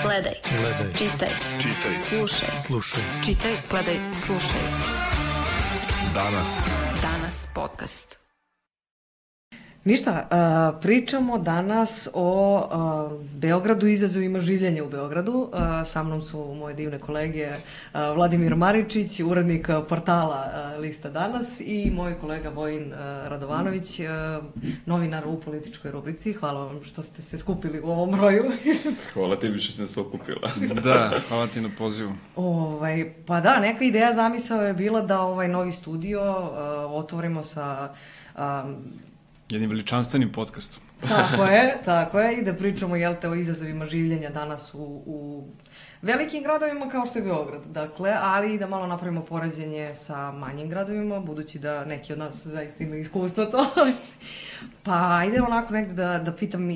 Gledaj. Čitaj. Slušaj. Čitaj, gledaj, slušaj. Danas podcast. Ništa, pričamo danas o Beogradu i izazovima življenja u Beogradu. Sa mnom su moje divne kolege Vladimir Maričić, urednik portala Lista Danas, i moj kolega Vojin Radovanović, novinar u političkoj rubrici. Hvala vam što ste se skupili u ovom broju. Hvala tebi što si se okupila. Da, hvala ti na pozivu. Pa da, neka ideja zamisao je bila da ovaj novi studio otvorimo sa... jednim veličanstvenim podcastom. Tako je, i da pričamo, o izazovima življenja danas u velikim gradovima kao što je Beograd, dakle, ali i da malo napravimo poređenje sa manjim gradovima, budući da neki od nas zaista imaju iskustvo to. Pa ajde onako negde da pitam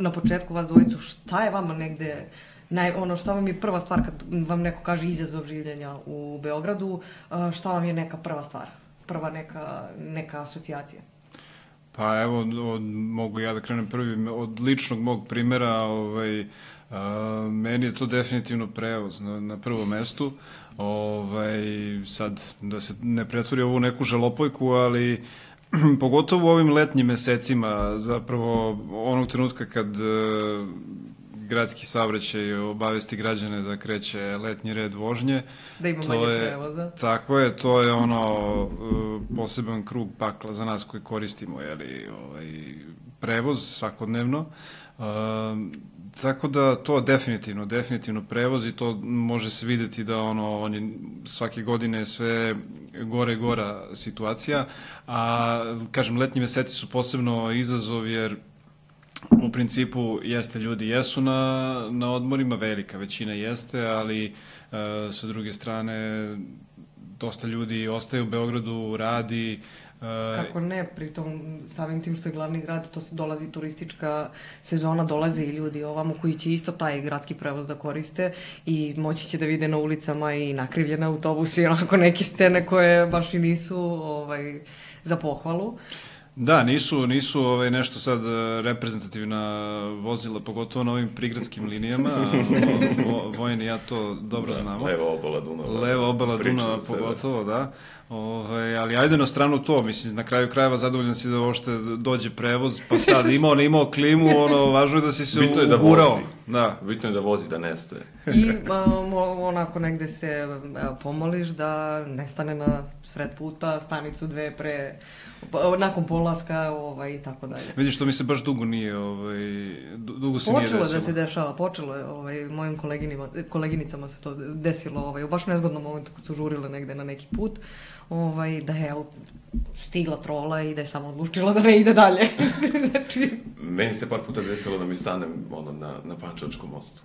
na početku vas dvojicu, šta je vama negde, šta vam je prva stvar kad vam neko kaže izazov življenja u Beogradu, šta vam je neka prva stvar, prva neka asocijacija? Pa evo, mogu ja da krenem prvi, od ličnog mog primera, meni je to definitivno prevoz na prvom mestu. Sad, da se ne pretvori ovu neku žalopojku, ali pogotovo u ovim letnjim mesecima, zapravo onog trenutka kad gradski saobraćaj obavesti građane da kreće letnji red vožnje. Da ima manje prevoza. Tako je, to je poseban krug pakla za nas koji koristimo prevoz svakodnevno. Tako da to definitivno prevoz, i to može se videti da on je svake godine sve gore i gora situacija. A kažem, letnji meseci su posebno izazov, jer u principu ljudi jesu na odmorima, velika većina jeste, ali sa druge strane dosta ljudi ostaje u Beogradu, radi. Kako ne, pritom samim tim što je glavni grad, to se dolazi turistička sezona, dolaze i ljudi ovamo koji će isto taj gradski prevoz da koriste i moći će da vide na ulicama i nakrivljene autobusi, onako neke scene koje baš i nisu za pohvalu. Da, nisu nešto sad reprezentativna vozila, pogotovo na ovim prigradskim linijama. Vojin i ja to dobro znamo. Leva obala Dunava pogotovo, da. Ali ajde na stranu to, mislim, na kraju krajeva zadovoljan si da uopšte dođe prevoz, pa sad imao, ne imao klimu, važno je da si se ugurao. Bitno je da vozi, da nestaje. I onako negde se pomoliš da nestane na sred puta, stanicu dve nakon polaska i tako dalje. Vidiš, to mi se baš dugo se nije desilo. Počelo da se dešava, mojim koleginicama se to desilo u baš nezgodnom momentu kad su žurile negde na neki put, da je stigla trola i da je samo odlučila da ne ide dalje. Meni se par puta desilo da mi stanem na Pančevačkom mostu.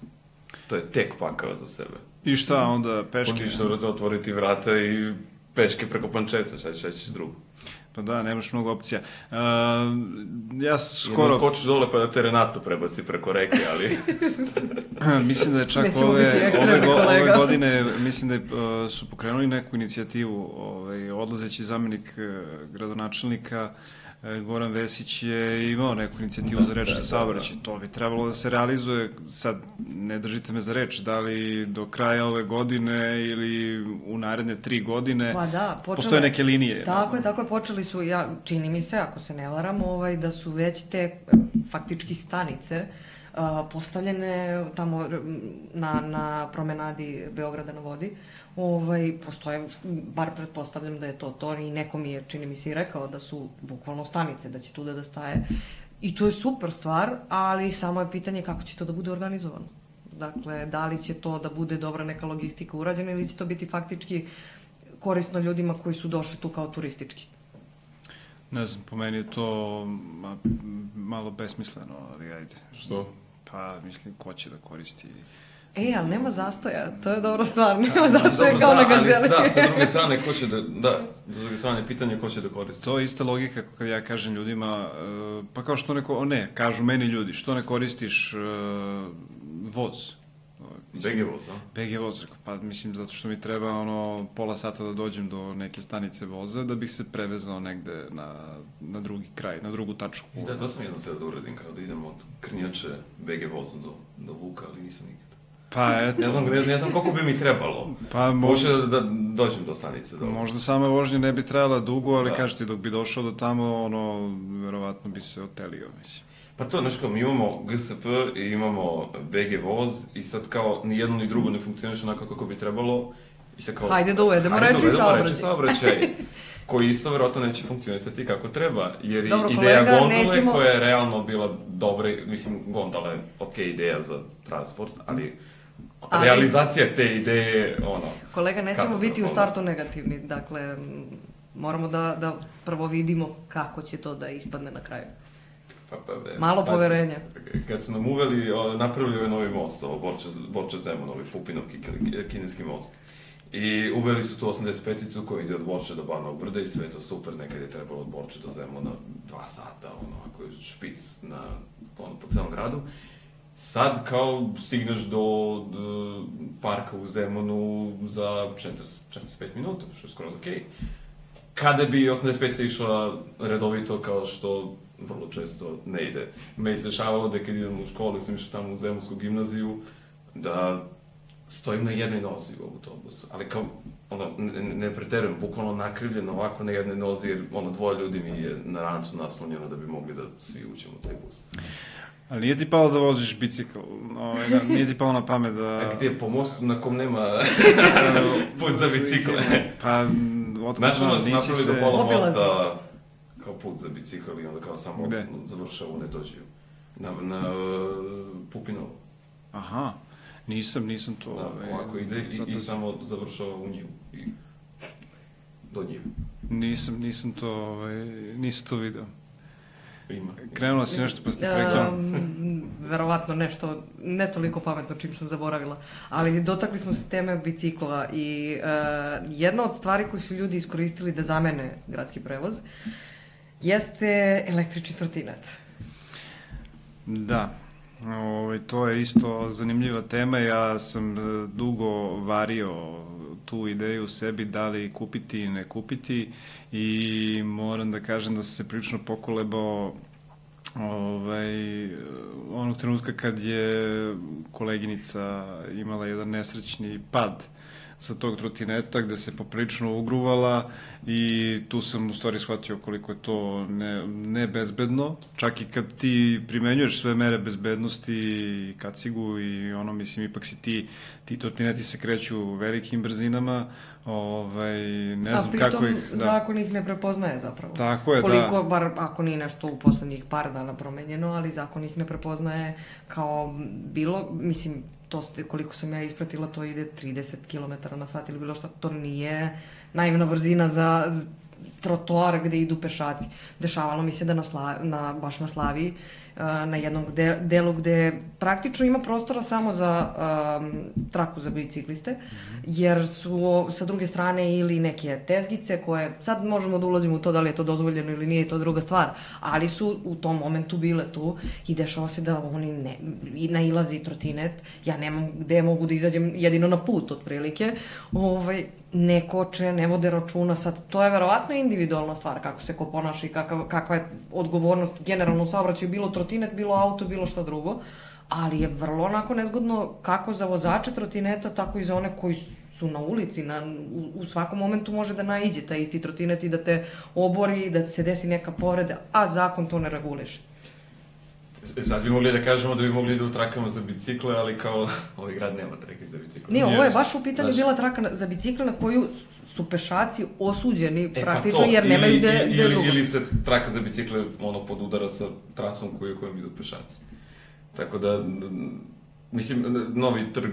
To je tek pakao za sebe. I šta onda, peške? Pokiš da otvoriti vrata i peške preko Pančevca, šta ćeš drugo? Pa da, nemaš mnogo opcija. Ja skoro... Jedno skočiš dole pa da te Renato prebaci preko reke, ali... Mislim da je čak ove godine, mislim da su pokrenuli neku inicijativu, odlazeći zamenik gradonačelnika Goran Vesić je imao neku inicijativu za rečni saobraćaj. To bi trebalo da se realizuje, sad ne držite me za reč, da li do kraja ove godine ili u naredne 3 godine. Pa da, postoje neke linije. Tako je, počeli su, čini mi se, ako se ne varam, da su već te faktički stanice postavljene tamo na promenadi Beograda na vodi. Postoje, bar pretpostavljam da je to i neko mi je, čini mi se, i rekao da su bukvalno stanice, da će tu da staje. I to je super stvar, ali samo je pitanje kako će to da bude organizovano. Dakle, da li će to da bude dobra neka logistika urađena ili će to biti faktički korisno ljudima koji su došli tu kao turistički. Ne znam, po meni je to malo besmisleno, ali ajde. Što? Pa, mislim, ko će da koristi... ali nema zastoja, to je dobra stvar, nema zastoja kao na Gazeli. Da, sa druge strane, sa druge strane, pitanje ko će da koristi. To je ista logika kad ja kažem ljudima, pa kao što kažu meni ljudi, što ne koristiš voz? BG voz, a? BG voz, pa mislim zato što mi treba pola sata da dođem do neke stanice voza da bih se prevezao negde na drugi kraj, na drugu tačku. I da, to sam jednom htio da uradim, kao da idem od Krnjače BG voza dovukao, ali nisam nikad. Pa eto. Ne znam koliko bi mi trebalo. Pa može da dođem do stanice. Dobro. Možda sama vožnja ne bi trajala dugo, ali kažete, dok bi došao do tamo, verovatno bi se otelio, mislim. Pa to, znaš kao, mi imamo GSP i imamo BG voz i sad kao ni jedno ni drugo ne funkcioniše onako kako bi trebalo. I sad kao, hajde da uvedemo reči saobraćaj. Koji isto verovatno neće funkcionisati kako treba, jer dobro, ideja gondole koja je realno bila dobra, mislim, gondola je okej ideja za transport, ali realizacija te ideje, kolega, nećemo biti u startu negativni, dakle, moramo da prvo vidimo kako će to da ispadne na kraju. Malo poverenja. Kad su nam uveli, napravili ovaj novi most, ovo Borča-Zemun, ovaj Pupinov kineski most. I uveli su tu 85-icu koja ide od Borče do Banovog Brda i sve to super, nekad je trebalo od Borče do Zemuna 2 sata, ako je špic po celom gradu. Sad kao stigneš do parka u Zemunu za 45 minuta, što je skoro okej. Kada bi 85-ica išla redovito, kao što vrlo često ne ide. Me se dešavalo da kad idem u školu, sam išao tamo u Zemunsku gimnaziju, da stojim na jednoj nozi u autobusu, ali kao, ne preterujem, bukvalno nakrivljeno ovako na jednoj nozi, jer dvoje ljudi mi je na rancu naslonjeno da bi mogli da svi uđemo u taj bus. Ali nije ti palo da voziš bicikl? Nije ti palo na pamet da... A gdje je po mostu na kom nema put za bicikle? Pa, otkud znam, nisi se... Napravili do pola mosta kao put za bicikl i onda kao samo završao u Nedođiju. Na Pupinovu. Aha. Nisam to... ovako ide i samo završava u njivu. Do njivu. Nisam to video. Krenula si nešto pa ste prekinula. Verovatno nešto, ne toliko pametno čim sam zaboravila, ali dotakli smo se teme bicikla i jedna od stvari koju su ljudi iskoristili da zamene gradski prevoz jeste električni trotinet. Da. To je isto zanimljiva tema, ja sam dugo vario tu ideju u sebi da li kupiti i ne kupiti i moram da kažem da sam se prilično pokolebao onog trenutka kad je koleginica imala jedan nesrećni pad sa tog trotineta gde se poprilično ugruvala i tu sam u stvari shvatio koliko je to nebezbedno. Čak i kad ti primenjuješ sve mere bezbednosti i kacigu i mislim, ipak si ti trotineti se kreću velikim brzinama, ne znam kako ih... pritom zakon ih ne prepoznaje zapravo. Tako je, koliko, bar ako nije nešto u poslednjih par dana promenjeno, ali zakon ih ne prepoznaje kao bilo, mislim, koliko sam ja ispratila, to ide 30 km na sat ili bilo šta, to nije naivna brzina za trotoar gde idu pešaci. Dešavalo mi se da baš na Slaviji, na jednom delu gde praktično ima prostora samo za traku za bicikliste, jer su sa druge strane ili neke tezgice koje, sad možemo da ulazimo u to da li je to dozvoljeno ili nije, to druga stvar, ali su u tom momentu bile tu i dešava se da oni nailazi trotinet, ja nemam gde mogu da izađem, jedino na put otprilike, ne koče, ne vode računa, sad to je verovatno individualna stvar kako se ko ponaša i kakva je odgovornost generalno u saobraćaju, bilo trotinet, bilo auto, bilo šta drugo, ali je vrlo onako nezgodno kako za vozače trotineta, tako i za one koji su na ulici, u svakom momentu može da naiđe taj isti trotinet i da te obori, da se desi neka povreda, a zakon to ne reguliše. Sad bi mogli da kažemo da bi mogli da u trakama za bicikle, ali kao ovaj grad nema trake za bicikle. Nije, ovo je baš u pitanju bila traka za bicikle na koju su pešaci osuđeni praktično jer nemaju gde drugo. Ili se traka za bicikle podudara sa trasom kojom idu pešaci. Tako da, mislim, novi trg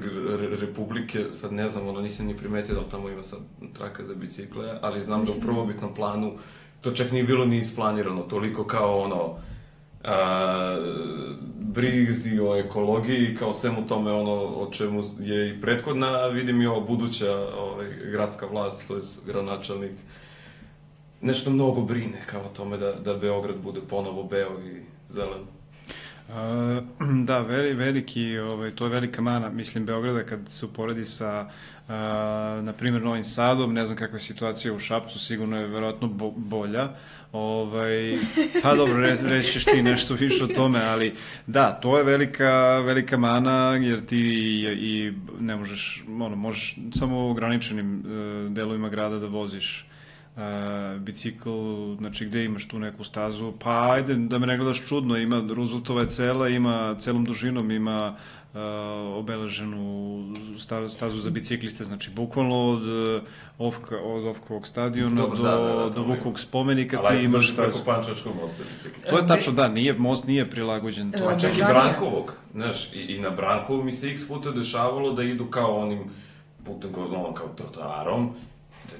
Republike, sad ne znam, nisam ni primetio da li tamo ima sad traka za bicikle, ali znam da u prvobitnom planu to čak nije bilo ni isplanirano, toliko kao brizi o ekologiji, kao svemu tome o čemu je i prethodna, vidim i ovo buduća gradska vlast, to je gradonačelnik, nešto mnogo brine kao o tome da Beograd bude ponovo beo i zelen. Da, veliki, to je velika mana, mislim, Beograda kad se uporedi sa, na primjer, Novim Sadom, ne znam kakva je situacija u Šapcu, sigurno je verovatno bolja. Pa dobro, reći ćeš ti nešto više o tome, ali da, to je velika mana, jer ti i ne možeš, možeš samo u ograničenim delovima grada da voziš bicikl, znači gde imaš tu neku stazu, pa ajde da me ne gledaš čudno, ima Rooseveltova je cela, ima celom dužinom, ima obeleženu stazu za bicikliste, znači bukvalno od Ofkovog stadiona do Vukovog spomenika ti imaš stazu. Ali preko Pančevačkog mosta bicikli. To je tačno, da, most nije prilagođen. Čak i Brankovog, znaš, i na Brankovu mi se x puta dešavalo da idu kao onim putem, kao trotoarom,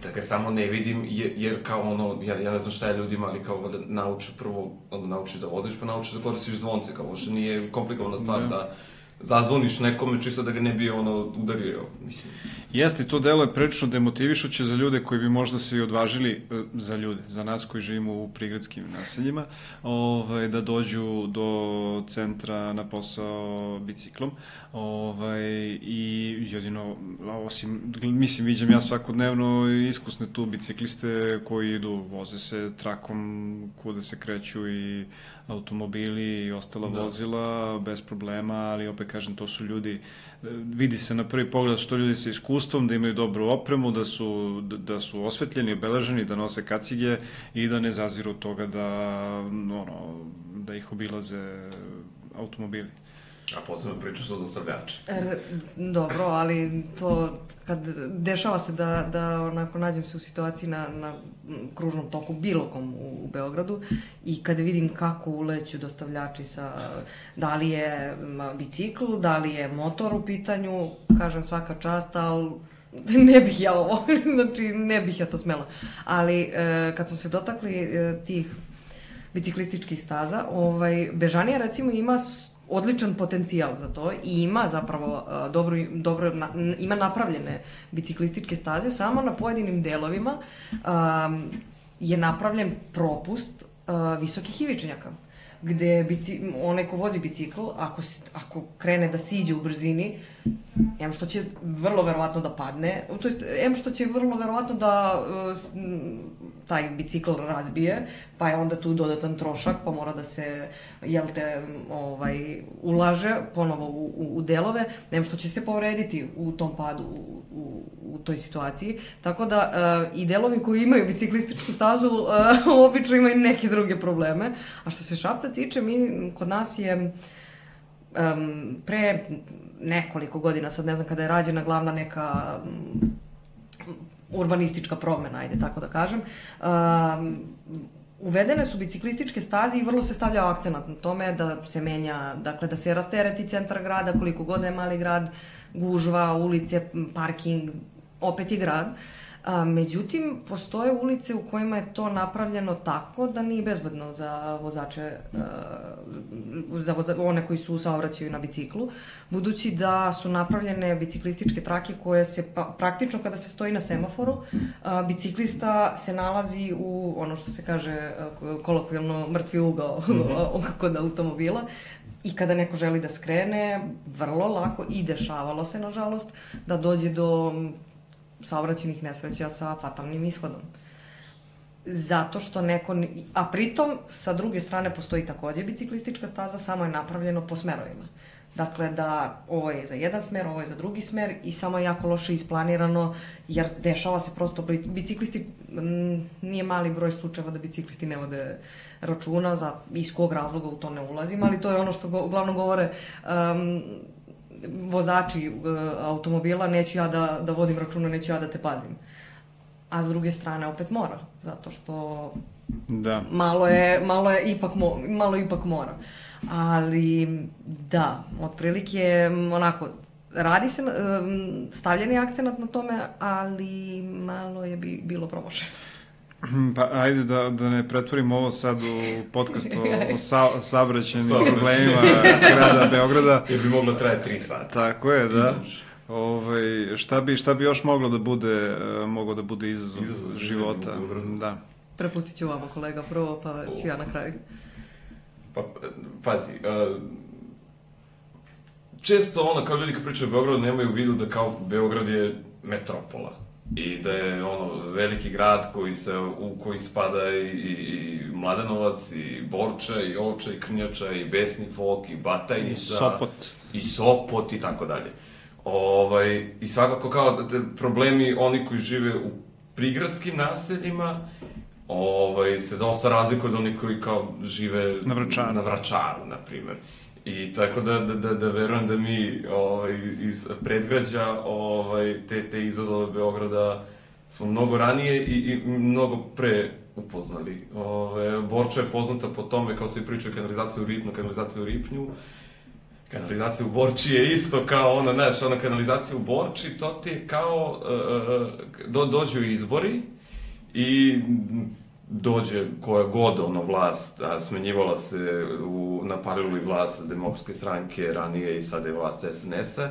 tako samo ne vidim, jer kao ja ne znam šta je ljudima, ali kao da nauče prvo, onda naučiš da voziš, pa naučiš da koristiš zvonce, kao što nije komplikovana stvar da zazvoniš nekome čisto da ga ne bi udario, mislim. Jeste, to delo je prilično demotivišuće za ljude koji bi možda se i odvažili, za nas koji živimo u prigradskim naseljima, da dođu do centra na posao biciklom. I jedino, mislim, viđam ja svakodnevno iskusne tu bicikliste koji idu, voze se trakom kuda se kreću i automobili i ostala vozila bez problema, ali opet kažem, to su ljudi, vidi se na prvi pogled da su to ljudi sa iskustvom, da imaju dobru opremu, da su osvetljeni, obeleženi, da nose kacige i da ne zaziru od toga da ih obilaze automobili. A posebno priču su dostavljači. Dobro, ali to, kad dešava se da onako nađem se u situaciji na kružnom toku bilo kom u Beogradu i kada vidim kako uleću dostavljači da li je bicikl, da li je motor u pitanju, kažem svaka čast, ali ne bih ja ovo, znači ne bih ja to smela. Ali kad smo se dotakli tih biciklističkih staza, Bežanija recimo ima odličan potencijal za to i ima zapravo ima napravljene biciklističke staze, samo na pojedinim delovima je napravljen propust visokih ivičnjaka, gde onaj ko vozi bicikl, ako krene da siđe u brzini, em što će vrlo verovatno da padne, to jest em što će vrlo verovatno da taj bicikl razbije, pa je onda tu dodatan trošak, pa mora da se, ulaže ponovo u delove, em što će se povrediti u tom padu, u toj situaciji. Tako da i delovi koji imaju biciklističku stazu obično imaju neke druge probleme. A što se Šapca tiče, kod nas je pre nekoliko godina, sad ne znam kada je rađena glavna neka urbanistička promena, ajde tako da kažem, uvedene su biciklističke staze i vrlo se stavljao akcenat na tome da se menja, dakle da se rastereti centar grada, koliko god je mali grad, gužva, ulice, parking, opet je grad. Međutim, postoje ulice u kojima je to napravljeno tako da nije bezbedno za vozače, za one koji su u saobraćaju na biciklu, budući da su napravljene biciklističke trake koje se praktično kada se stoji na semaforu, biciklista se nalazi u ono što se kaže kolokvijalno mrtvi ugao kod automobila. I kada neko želi da skrene, vrlo lako, i dešavalo se nažalost, da dođe do saobraćajnih nesreća sa fatalnim ishodom. Zato što a pritom, sa druge strane, postoji takođe biciklistička staza, samo je napravljeno po smerovima. Dakle, da ovo je za jedan smer, ovo je za drugi smer i samo je jako loše isplanirano, jer dešava se prosto, biciklisti, nije mali broj slučajeva da biciklisti ne vode računa, iz kog razloga u to ne ulazim, ali to je ono što uglavnom govore vozači automobila, neću ja da vodim računa, neću ja da te pazim. A s druge strane opet mora, zato što malo ipak mora. Ali da, otprilike onako, radi se, stavljen je akcenat na tome, ali malo je bilo promašeno. Pa ajde da ne pretvorimo ovo sad u podcast o saobraćajnim problemima grada Beograda. Jer bi moglo trajati 3 sata. Tako je, da. Šta bi još moglo da bude izazov života? Da. Prepustit ću vama kolega prvo, pa ću ja na kraju. Pa, pazi, često kao ljudi kad pričaju o Beogradu nemaju u vidu da kao Beograd je metropola i da je veliki grad u koji spada i Mladenovac, i Borča, i Ovča, i Krnjača, i Besni Fok, i Batajnica, i Sopot i tako dalje. I svakako kao problemi oni koji žive u prigradskim naseljima se dosta razlikuju od onih koji kao žive na Vračaru, na primer. I tako da verujem da mi iz predgrađa te izazove Beograda smo mnogo ranije i mnogo pre upoznali. Borča je poznata po tome, kao se priča kanalizacija u Ripnu, kanalizacija u Ripnju. Kanalizacija u Borči je isto kao kanalizacija u Borči, to ti je kao, dođu izbori i dođe koja god vlast, a smenjivala se na paralelu vlast Demokratske stranke ranije i sada je vlast SNS-a,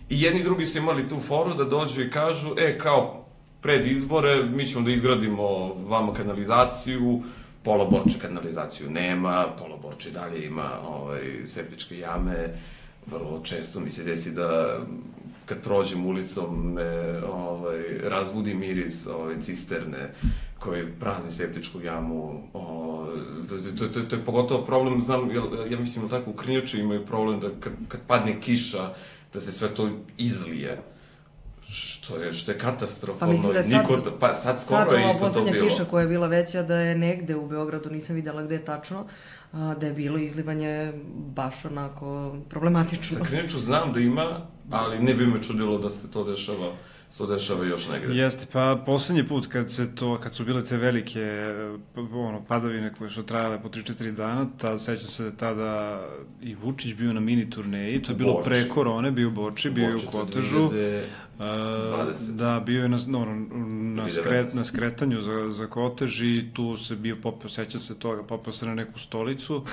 i jedni drugi su imali tu foru da dođu i kažu, kao pred izbore mi ćemo da izgradimo vama kanalizaciju, pola Borče kanalizaciju nema, pola Borče dalje ima septičke jame, vrlo često mi se desi da kad prođem ulicom me razbudi miris cisterne koji prazni septičku jamu. To je pogotovo problem, znam, ja mislim da tako u Krnjači imaju problem da kad padne kiša, da se sve to izlije. Što je katastrofalno. Pa mislim da je sad skoro je isto to bilo. Sad ova poslednja kiša koja je bila veća, da je negde u Beogradu, nisam videla gde je tačno, da je bilo izlivanje baš onako problematično. Za Krnjaču znam da ima, ali ne bi me čudilo da se to dešava još negde. Jeste, pa poslednji put kad su bile te velike padavine koje su trajale po 3-4 dana, sećam se da tada i Vučić bio na mini turneji, to je bilo pre korone, bio u Borči, bio je u Kotežu. Da, bio je na skretanju za Kotež i tu se bio sećam se toga, popeo se na neku stolicu,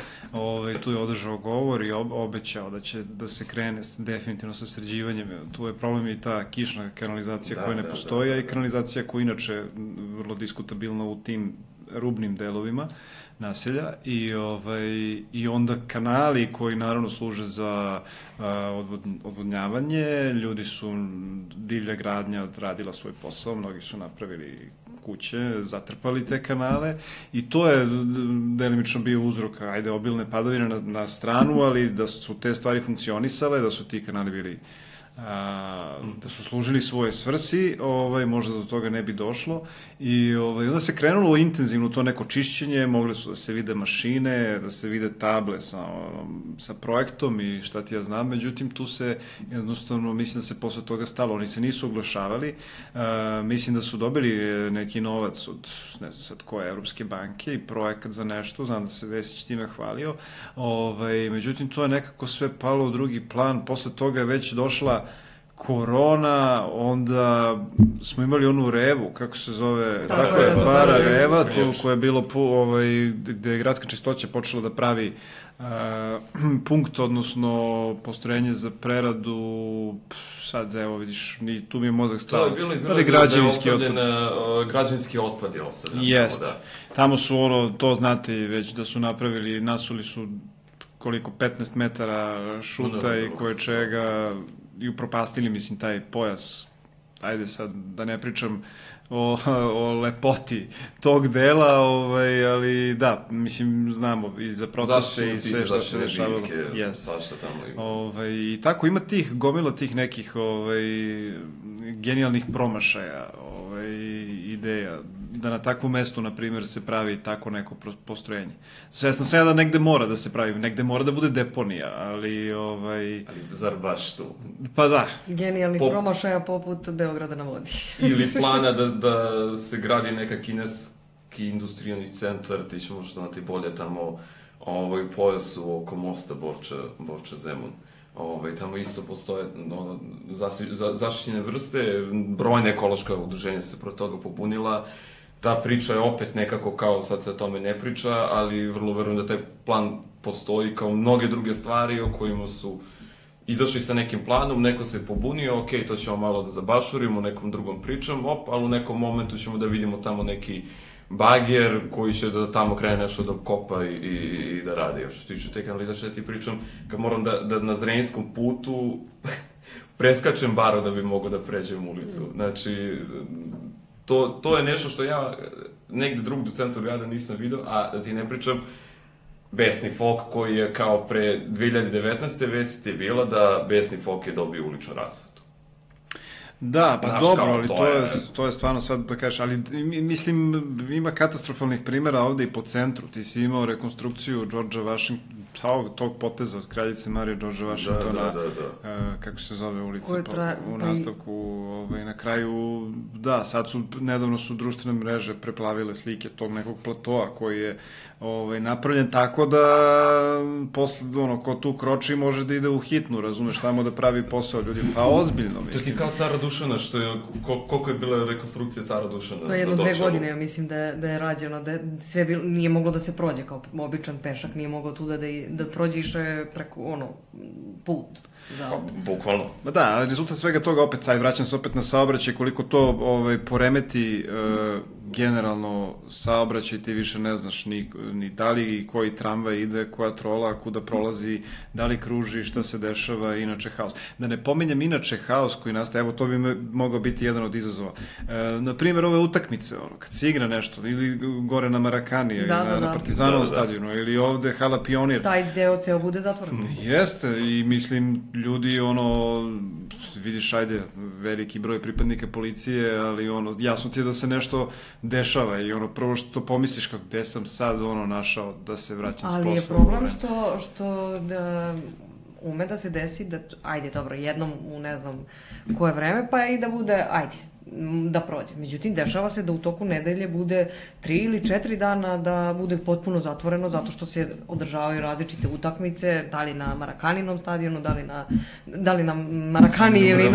tu je održao govor i obećao da će da se krene definitivno sa sređivanjem. Tu je problem i ta kišna kanalizacija koja ne postoji, a i kanalizacija koja inače vrlo diskutabilna u tim rubnim delovima naselja i onda kanali koji naravno služe za odvodnjavanje, ljudi su, divlja gradnja odradila svoj posao, mnogi su napravili kuće, zatrpali te kanale i to je delimično bio uzrok, obilne padavine na stranu, ali da su te stvari funkcionisale, da su ti kanali bili da su služili svoje svrsi, možda do toga ne bi došlo i onda se krenulo intenzivno to neko čišćenje, mogli su da se vide mašine, da se vide table sa projektom i šta ti ja znam, međutim tu se jednostavno, mislim da se posle toga stalo, oni se nisu oglašavali, mislim da su dobili neki novac od, ne znam sad koje, Evropske banke i projekat za nešto, znam da se Vesić time hvalio, međutim to je nekako sve palo u drugi plan, posle toga je već došla korona, onda smo imali onu Revu, kako se zove, tako je, bara Reva, tu koja je bilo, gde je gradska čistoća počela da pravi punkt, odnosno postrojenje za preradu, sad evo vidiš, tu mi je mozak stao. To je bilo građanski otpad je ostavljen. Jest, tamo su to znate već da su napravili, nasuli su koliko, 15 metara šuta i koje čega, i upropastili, mislim, taj pojas, ajde sad da ne pričam o lepoti tog dela, ali da, mislim, znamo i za proteste i sve što se dešavalo. I tako ima gomila tih nekih genijalnih promašaja, ideja, da na takvom mestu, na primjer, se pravi tako neko postrojenje. Svesna sam ja da negde mora da se pravi, negde mora da bude deponija, ali... Ali zar baš tu? Pa da. Genijalnih promašaja poput Beograda na vodi. Ili plana da se gradi neka kineski industrijalni centar, ti ćemo što znati bolje tamo u pojasu oko mosta Borča-Zemun. Tamo isto postoje zaštićene vrste, brojne ekološka udruženja se protiv toga pobunila. Ta priča je opet nekako kao sad se o tome ne priča, ali vrlo verujem da taj plan postoji kao mnoge druge stvari o kojima su izašli sa nekim planom, neko se pobunio, ok, to ćemo malo da zabašurimo nekom drugom pričom, ali u nekom momentu ćemo da vidimo tamo neki bager koji će da tamo krene nešto da kopa i da radi. Što se tiče te kanalizacije, ti pričam, kad moram da na Zrenjskom putu preskačem baro da bi mogao da pređem ulicu. Znači, to je nešto što ja negde drugde u centru grada nisam vidio, a da ti ne pričam, besni folk koji je kao pre 2019. vest je bila da besni folk je dobio uličnu rasvetu. Da, pa dobro, ali to je stvarno sad da kažeš, ali mislim ima katastrofalnih primjera ovde i po centru. Ti si imao rekonstrukciju Georgea Washingtona, tog poteza od kraljice Marije Georgea Washingtona, kako se zove ulica u nastavku, na kraju, da, sad nedavno su društvene mreže preplavile slike tog nekog platoa koji je napravljen tako da posle, ko tu kroči može da ide u hitnu, razumeš, tamo da pravi posao ljudi, pa ozbiljno, mislim. To je kao Cara Dušana, što je, koliko je bila rekonstrukcija Cara Dušana? To je 1-2 godine, ja mislim da je rađeno, da sve nije moglo da se prođe kao običan pešak, nije moglo tu da prođe išao preko, put. Bukvalno. Da, ali rezultat svega toga, opet, sad vraćam se opet na saobraćaj, koliko to poremeti generalno saobraćaj, ti više ne znaš ni da li koji tramvaj ide, koja trola, kuda prolazi, da li kruži, šta se dešava, inače haos. Da ne pominjem inače haos koji nastaje, evo to bi mogao biti jedan od izazova. Naprimjer, ove utakmice, kad se igra nešto, ili gore na Marakani, na Partizanovom stadionu, ili ovde Hala Pionir. Taj deo ceo bude zatvoren. Jeste, i mislim, ljudi, vidiš, ajde, veliki broj pripadnika policije, ali jasno ti je da se nešto dešava i prvo što pomisliš kako gde sam sad našao da se vraćam s posla. Ali je problem što da ume da se desi da, ajde, dobro, jednom u ne znam koje vreme, pa i da bude, ajde, da prođe. Međutim, dešava se da u toku nedelje bude 3 ili 4 dana da bude potpuno zatvoreno zato što se održavaju različite utakmice, da li na Marakaninom stadionu, da li na Marakani ili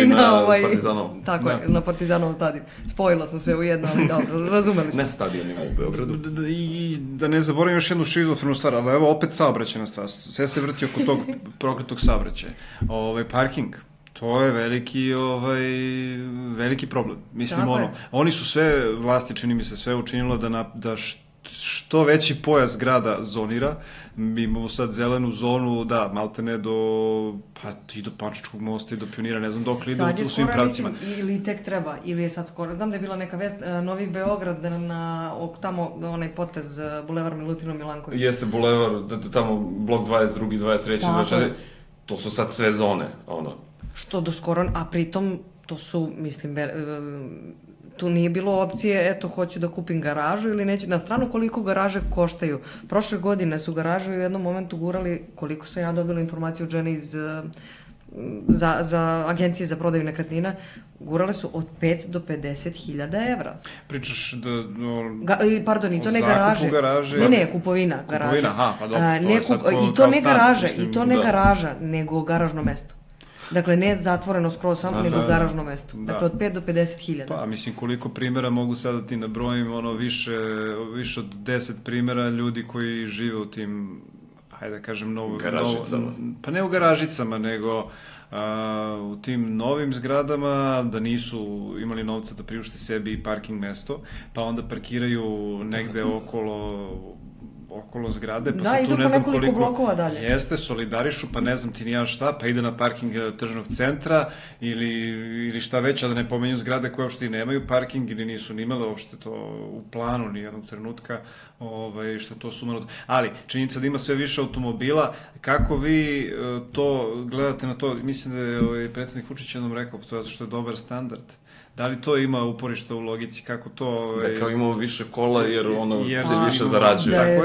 na Partizanovom. Tako je, na Partizanovom stadionu. Spojila sam sve u jedno, ali dobro, razumeli smo. Ne stadionima u Beogradu. I da ne zaboravim još jednu šizofrenu stvar, ali evo opet saobraćajna stvar. Sve se vrti oko tog prokletog saobraćaja. Parking. To je veliki problem. Mislim, oni su sve, vlasti čini mi se sve učinilo da što veći pojas grada zonira. Mi imamo sad zelenu zonu, da, maltene i do Pančičkog mosta i do Pionira, ne znam dok li ide u svim pravcima. Ili tek treba, ili je sad skoro. Znam da je bila neka vest, Novi Beograd, tamo onaj potez, bulevar Milutina Milankovića. Jeste bulevar, tamo blok 22, 23, 24, to su sad sve zone, Što do skoro, a pritom to su, mislim, tu nije bilo opcije, eto, hoću da kupim garažu ili neću, na stranu koliko garaže koštaju. Prošle godine su garaže u jednom momentu gurali, koliko sam ja dobila informaciju od žene iz za agencije za prodaju nekretnina, gurale su od 5 do 50.000 evra. Pričaš Pardon, i to ne garaže. Ne, kupovina garaže. Kupovina, pa dobro. I to ne garaža, nego garažno mesto. Dakle, ne zatvoreno skroz samo, nego garažno mesto. Dakle, od 5 do 50.000. Pa, mislim, koliko primjera mogu sada ti nabrojim, više od 10 primjera ljudi koji žive u tim, hajde da kažem, garažicama. Pa ne u garažicama, nego u tim novim zgradama, da nisu imali novca da priušte sebi parking mesto, pa onda parkiraju negde okolo zgrade, pa se tu ne znam koliko blokova dalje. Jeste, solidarišu, pa ne znam ti ni ja šta, pa ide na parking tržnog centra ili šta već, a da ne pomenju zgrade koje uopšte i nemaju parking ili nisu ni imale uopšte to u planu ni jednog trenutka, što to sumanuto. Ali, činjenica da ima sve više automobila, kako vi to gledate na to, mislim da je predsjednik Vučić jednom rekao, zato što je dobar standard. Da li to ima uporište u logici, kako to... Da kao imamo više kola jer se više zarađuje.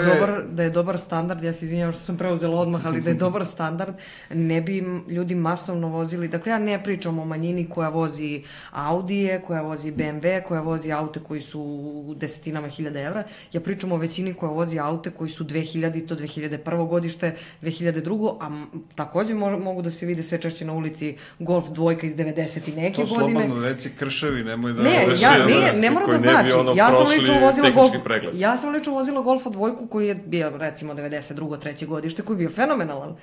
Da je dobar standard, ja se izvinjavam što sam preuzela odmah, ali da je dobar standard, ne bi ljudi masovno vozili, dakle ja ne pričam o manjini koja vozi Audije, koja vozi BMW, koja vozi aute koji su u desetinama hiljada evra, ja pričam o većini koja vozi aute koji su 2000, to 2001. godište, 2002. A takođe mogu da se vide sve češće na ulici Golf 2 iz 90 i neke godine. To slobodno reci krševi, nemoj da... Ne mora da znači. Ja sam lično vozila Golfa 2 koji je bio, recimo, 92. 3. godište, koji je bio fenomenalan.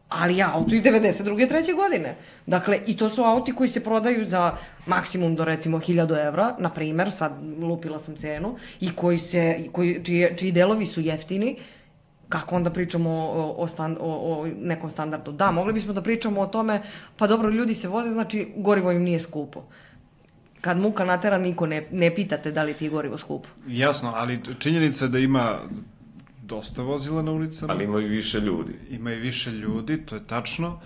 ali auto iz 92. 3. godine. Dakle, i to su auti koji se prodaju za maksimum do recimo 1000 evra, na primer, sad lupila sam cenu, i čiji delovi su jeftini. Kako onda pričamo o nekom standardu? Da, mogli bismo da pričamo o tome, pa dobro, ljudi se voze, znači gorivo im nije skupo. Kad muka natera, niko ne pitate da li ti je gorivo skupo. Jasno, ali činjenica je da ima dosta vozila na ulicama. Ali ima i više ljudi. Ima i više ljudi, to je tačno.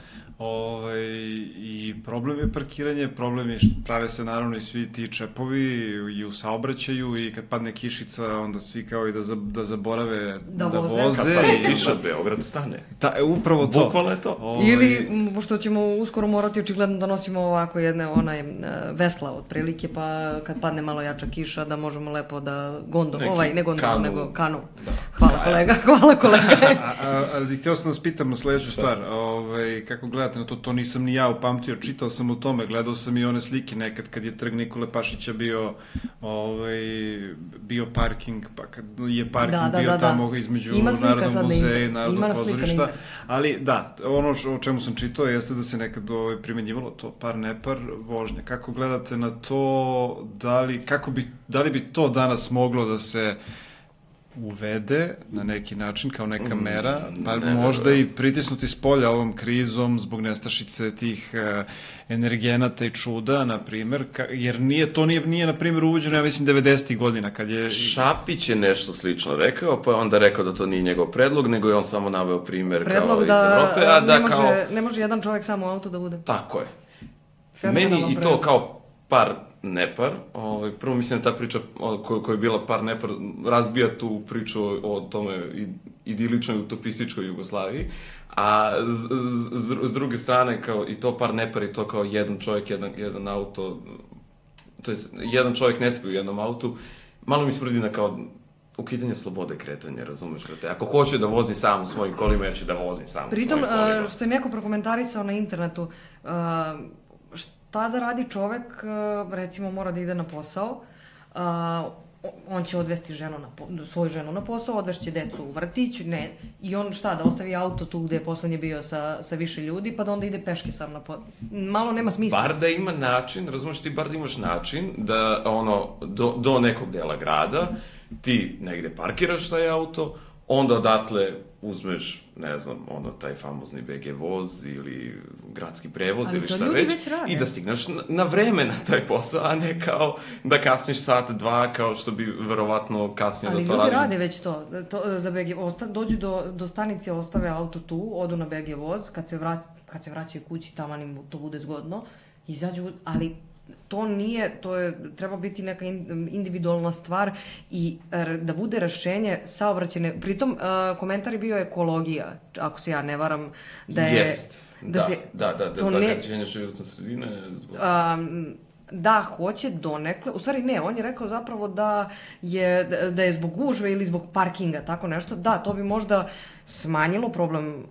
I problem je parkiranje, problem je što prave se naravno i svi ti čepovi i u saobraćaju i kad padne kišica onda svi kao i da zaborave da voze. Kad padne kiša, Beograd stane. Upravo to. Bukvalno je to. Ili što ćemo uskoro morati očigledno da nosimo ovako jedne vesla otprilike, pa kad padne malo jača kiša da možemo lepo da nego kanu. Da. Hvala kolega. Ali htio sam da vas pitam na sledeću stvar, kako gledate na to, to nisam ni ja upamtio, čitao sam o tome, gledao sam i one slike nekad kad je trg Nikole Pašića bio parking, pa kad je parking bio tamo između Narodnog muzeja i Narodnog pozorišta, ali da, ono o čemu sam čitao jeste da se nekad primenjivalo to par nepar vožnje. Kako gledate na to, da li bi to danas moglo da se uvede na neki način kao neka mera, pa možda i pritisnuti s polja ovom krizom zbog nestašice tih energenata i čuda, na primer, jer nije na primjer uvođeno, ja mislim, 90. godina, kad je... Šapić je nešto slično rekao, pa je onda rekao da to nije njegov predlog, nego je on samo naveo primer kao iz Evrope, ne može jedan čovjek samo auto da bude. Tako je. Meni i to kao par nepar, prvo mislim da ta priča koja je bila par nepar razbija tu priču o tome idiličnoj utopističkoj Jugoslaviji, a s druge strane kao i to par nepar i to kao jedan čovjek, jedan auto, to je jedan čovjek ne spije u jednom autu, malo mi spredi na kao ukidanje slobode kretanja, razumeš? Ako hoće da vozi sam u svojim kolima, ja ću da vozim sam u svojim kolima. Pritom, što je neko prokomentarisao na internetu, tada radi čovek, recimo mora da ide na posao, on će odvesti svoju ženu na posao, odvešće decu u vrtić, i on da ostavi auto tu gde je poslednje bio sa više ljudi, pa da onda ide peške sam na posao. Malo nema smisla. Bar da ima način, razumiješ ti, bar da imaš način da do nekog dela grada ti negde parkiraš taj auto, onda odatle uzmeš, ne znam, taj famozni BG voz ili gradski prevoz ili šta već i da stigneš na vreme na taj posao, a ne kao da kasniš sat, dva, kao što bi verovatno kasnije da to radi. Ali ljudi rade već to za BG voz, dođu do stanice, ostave auto tu, odu na BG voz, kad se vraćaju kući, tamo im to bude zgodno, izađu, ali to nije, treba biti neka individualna stvar i da bude rešenje saobraćajne. Pritom, komentar je bio ekologija, ako se ja ne varam, da je... Jest, da, zagađenje životne sredine. Da, hoće donekle, u stvari ne, on je rekao zapravo da je zbog gužve ili zbog parkinga, tako nešto. Da, to bi možda smanjilo problem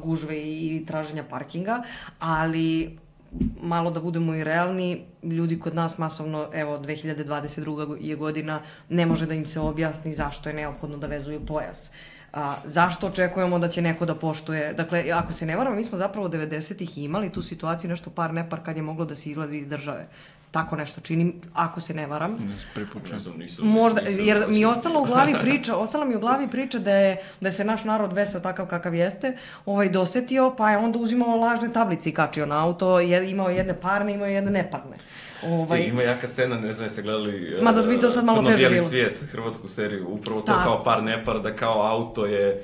gužve i traženja parkinga, ali... malo da budemo i realni, ljudi kod nas masovno, evo, 2022. je godina, ne može da im se objasni zašto je neophodno da vezuju pojas. Zašto očekujemo da će neko da poštuje? Dakle, ako se ne varam, mi smo zapravo 90-ih imali tu situaciju nešto par nepar kad je moglo da se izlazi iz države. Tako nešto činim, ako se ne varam. Možda, jer mi je ostala mi u glavi priča da se naš narod veseo takav kakav jeste, dosetio, pa je onda uzimao lažne tablice i kačio na auto, imao jedne parne, imao jedne neparne. Ima jaka scena, ne znam jeste gledali Crno-bijeli svijet, hrvatsku seriju, upravo to kao par nepar, da kao auto je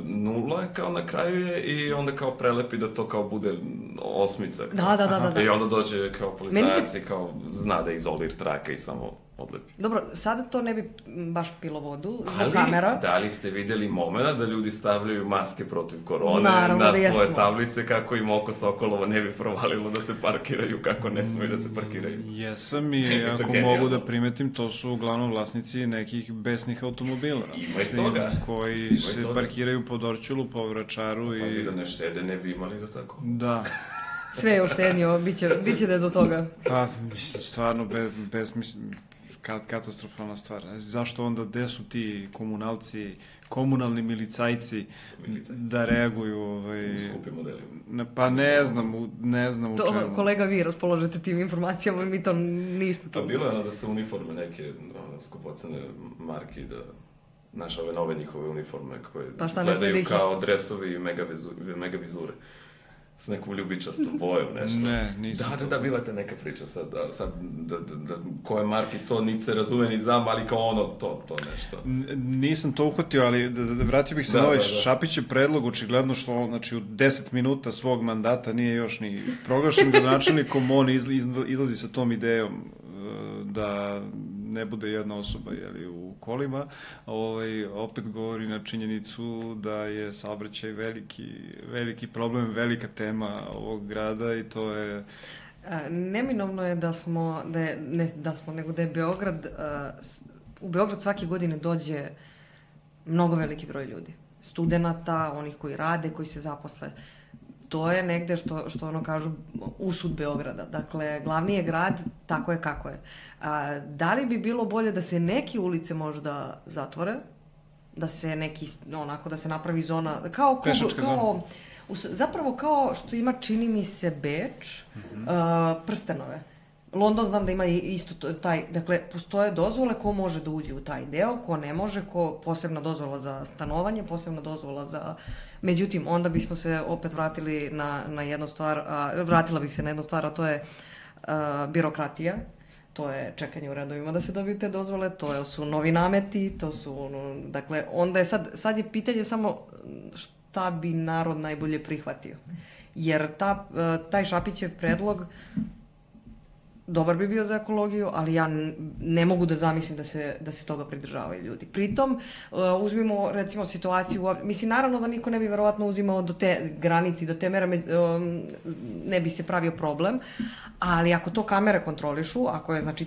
nula kao na kraju je i onda kao prelepi da to kao bude osmica. Da. I onda dođe kao policajac i kao zna da izolira traka i samo odlepi. Dobro, sada to ne bi baš pilo vodu zbog kamera. Ali, da li ste vidjeli momena da ljudi stavljaju maske protiv korone na svoje tablice kako im oko Sokolova ne bi provalilo da se parkiraju kako ne smiju da se parkiraju? Jesam i ako mogu da primetim, to su uglavnom vlasnici nekih besnih automobila. Ima i toga. Koji se parkiraju po Dorćolu, po Vračaru i... Pazi da ne štede, ne bi imali za tako. Da. Sve je uštednio, bit će da je do toga. Pa, mislim, stvarno, katastrofalna stvar. Zašto onda, gde su ti komunalci, komunalni milicajci da reaguju? U skupim modelima. Pa ne znam u čemu. To, kolega, vi raspoložete tim informacijama, mi to nismo. Pa bilo je da se uniforme neke skupocene marki, da naše ove nove njihove uniforme koje izgledaju kao dresovi i megavizure. S nekom ljubičastom bojom, nešto. Ne, nisam. Da, bila te neka priča sad, koje marki to niti se razume ni znam, ali kao ono, to nešto. Nisam to uhvatio, ali vratio bih se na ovaj Šapićev predlog, očigledno što, znači, u 10 minuta svog mandata nije još ni proglašen gradonačelnikom, on izlazi sa tom idejom da ne bude jedna osoba u kolima, opet govori na činjenicu da je saobraćaj veliki problem, velika tema ovog grada i to je... Neminovno je nego da je Beograd, u Beograd svake godine dođe mnogo veliki broj ljudi. Studenata, onih koji rade, koji se zaposle. To je negde što ono kažu usud Beograda. Dakle, glavni je grad, tako je kako je. Da li bi bilo bolje da se neke ulice možda zatvore, da se da se napravi zona, zapravo kao što ima, čini mi se, Beč, prstenove. London znam da ima isto taj, dakle, postoje dozvole ko može da uđe u taj deo, ko ne može, posebna dozvola za stanovanje, posebna dozvola za... Međutim, onda bismo se opet vratili na jednu stvar, vratila bih se na jednu stvar, a to je birokratija. To je čekanje u redovima da se dobiju te dozvole, to su novi nameti, to su, dakle, onda je sad je pitanje samo šta bi narod najbolje prihvatio. Jer taj Šapićev predlog dobar bi bio za ekologiju, ali ja ne mogu da zamislim da se toga pridržavaju ljudi. Pritom, uzmimo recimo situaciju, mislim, naravno da niko ne bi verovatno uzimao do te granici, do te mere, ne bi se pravio problem, ali ako to kamere kontrolišu, ako je, znači,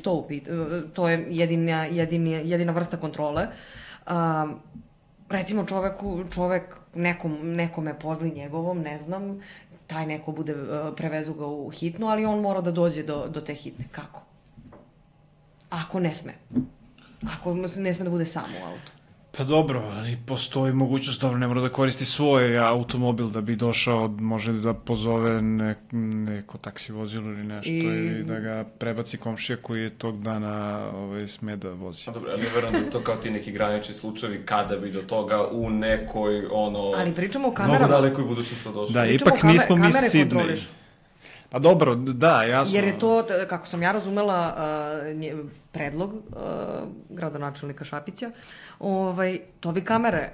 to je jedina vrsta kontrole, recimo čovek nekome pozli njegovom, ne znam, taj neko prevezu ga u hitnu, ali on mora da dođe do te hitne. Kako? Ako ne sme. Ako ne sme da bude sam u autu. Pa dobro, ali postoji mogućnost, dobro, ne mora da koristi svoj automobil da bi došao, može da pozove neko taksi vozilo ili nešto i da ga prebaci komšija koji je tog dana sme da vozi. A dobro, ja ne verujem da je to kao ti neki granični slučajevi kada bi do toga u nekoj, ali pričamo o kamerama. Mnogo dalekoj budućnosti došlo. Da, ipak nismo mi Sidney. Pa dobro, da, jasno. Jer je to, kako sam ja razumela, predlog gradonačelnika Šapića, to bi kamere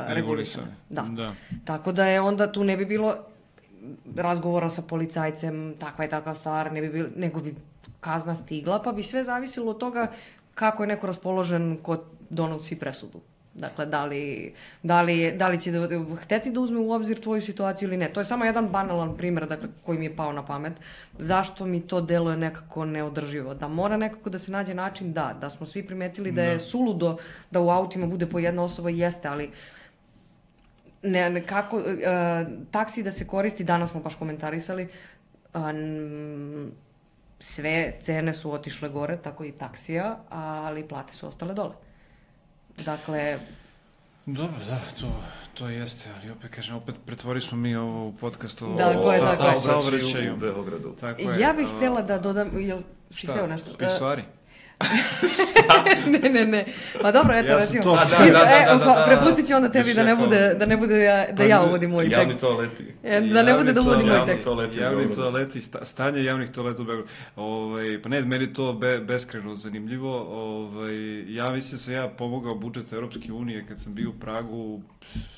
regulisane. Da. Tako da je onda tu ne bi bilo razgovora sa policajcem, takva je takva stvar, nego bi kazna stigla, pa bi sve zavisilo od toga kako je neko raspoložen ko donosi presudu. Dakle, da li će hteti da uzme u obzir tvoju situaciju ili ne. To je samo jedan banalan primer, dakle, koji mi je pao na pamet. Zašto mi to deluje nekako neodrživo? Da mora nekako da se nađe način, da smo svi primetili da je suludo da u autima bude po jedna osoba, jeste, ali kako taksi da se koristi, danas smo baš komentarisali, sve cene su otišle gore, tako i taksija, ali plate su ostale dole. Dakle... Dobro, da, to jeste, ali opet kažem, opet pretvori smo mi ovo u podcastu o saobraćaju u Beogradu. Ja bih htjela da dodam, jel si htjela nešto? Pisuari? Ne. Pa dobro, eto, recimo. Prepustit ću onda tebi da ne bude da ja uvodim moj tekst. Javni toaleti. Da ne bude da uvodim moj tekst. Javni toaleti, stanje javnih toaleta u Beogradu. Pa ne, meni to beskrajno zanimljivo. Ja mislim da sam ja pomogao budžet Europske unije kad sam bio u Pragu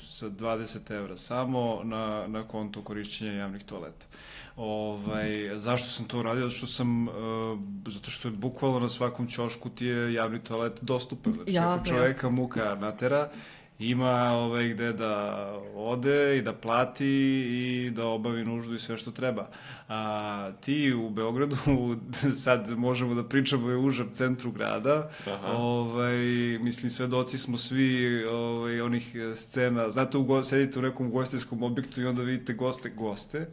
sa 20 evra samo na konto korišćenja javnih toaleta. Zašto sam to uradio? Zato što je bukvalno na svakom ćošku ti je javni toalet dostupan. Znači, ako čoveka muka natera ima gde da ode i da plati i da obavi nuždu i sve što treba. A ti u Beogradu, sad možemo da pričamo o užem centru grada, mislim, svedoci smo svi onih scena, znate, sedite u nekom ugostiteljskom objektu i onda vidite goste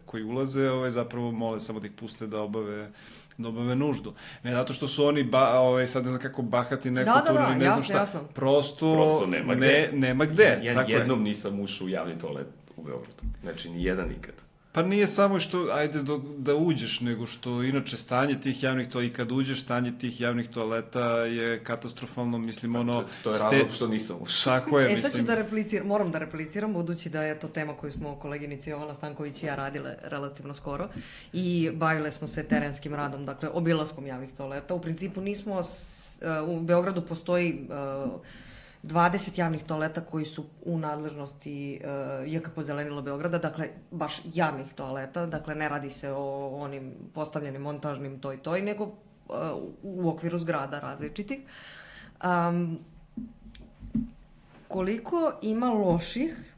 koji ulaze, zapravo mole samo da ih puste da obave nuždu. Ne zato što su oni, sad ne znam kako bahati nekulturni, ne znam šta. Jasno. Prosto nema gde. Jednom nisam ušao u javni toalet u Beogradu. Znači, ni jedan nikad. Pa nije samo što, ajde, da uđeš, nego što inače stanje tih javnih toaleta, i kad uđeš, stanje tih javnih toaleta je katastrofalno, mislim, To je razlog što nisam ušao. Tako je, mislim. Sad ću moram da repliciram, budući da je to tema koju smo koleginici Jovana Stanković i ja radile relativno skoro i bavile smo se terenskim radom, dakle, obilaskom javnih toaleta. U principu nismo, u Beogradu postoji 20 javnih toaleta koji su u nadležnosti JKP Zelenilo Beograda, dakle, baš javnih toaleta, dakle, ne radi se o onim postavljenim montažnim toj, nego u okviru zgrada različitih. Koliko ima loših,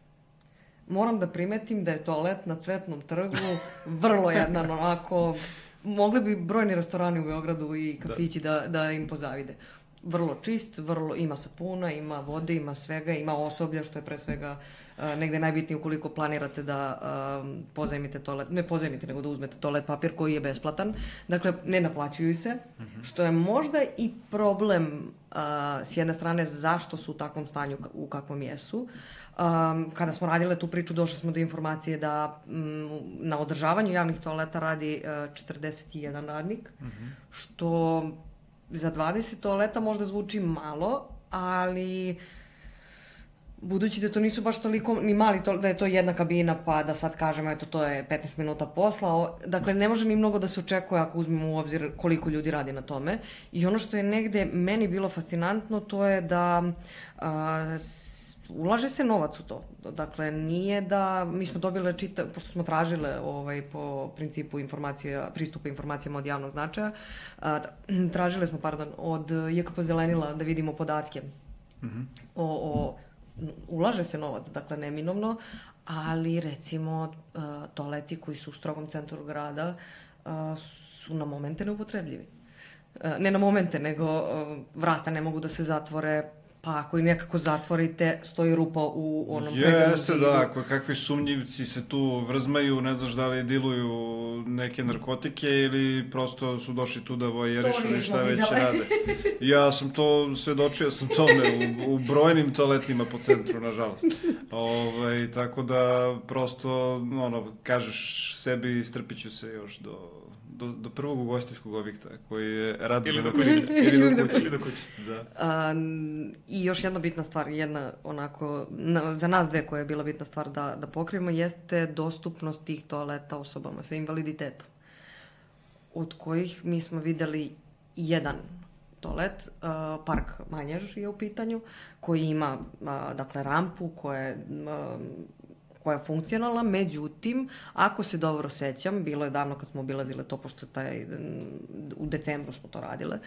moram da primetim da je toalet na Cvetnom trgu vrlo jedan onako, mogli bi brojni restorani u Beogradu i kafići da im pozavide. Vrlo čist, ima sapuna, ima vode, ima svega, ima osoblja, što je pre svega negde najbitnije ukoliko planirate da pozajmite toalet, ne pozajmite, nego da uzmete toalet papir koji je besplatan. Dakle, ne naplaćuju se, što je možda i problem s jedne strane zašto su u takvom stanju u kakvom jesu. Kada smo radile tu priču, došli smo do informacije da na održavanju javnih toaleta radi 41 radnik, što za 20 toaleta možda zvuči malo, ali budući da to nisu baš toliko ni mali, da je to jedna kabina, pa da sad kažemo, eto, to je 15 minuta posla, dakle, ne može ni mnogo da se očekuje ako uzmemo u obzir koliko ljudi radi na tome. I ono što je negde meni bilo fascinantno, to je da ulaže se novac u to. Dakle, nije da, mi smo dobile pošto smo tražile po principu pristupa informacijama od javnog značaja, tražile smo, od JKP Zelenila da vidimo podatke ulaže se novac, dakle, neminovno, ali recimo toaleti koji su u strogom centru grada su na momente neupotrebljivi. Ne na momente, nego vrata ne mogu da se zatvore, pa ako i nekako zatvorite, stoji rupa u onom pregranom zidu. Jeste, da, kakvi sumnjivci se tu vrzmaju, ne znaš da li diluju neke narkotike ili prosto su došli tu da vojerišu ili šta već rade. Ja sam to, svedočio sam tome u brojnim toaletima po centru, nažalost. Tako da, prosto, kažeš sebi, istrpit ću se još do prvog ugostiteljskog objekta koji je rad ili do kuće. Da. I još jedna bitna stvar, za nas dve koja je bila bitna stvar da pokrijemo, jeste dostupnost tih toaleta osobama sa invaliditetom, od kojih mi smo videli jedan toalet, Park Manjež je u pitanju, koji ima, dakle, rampu koja je funkcionalna, međutim, ako se dobro sećam, bilo je davno kad smo obilazile to, pošto u decembru smo to radile,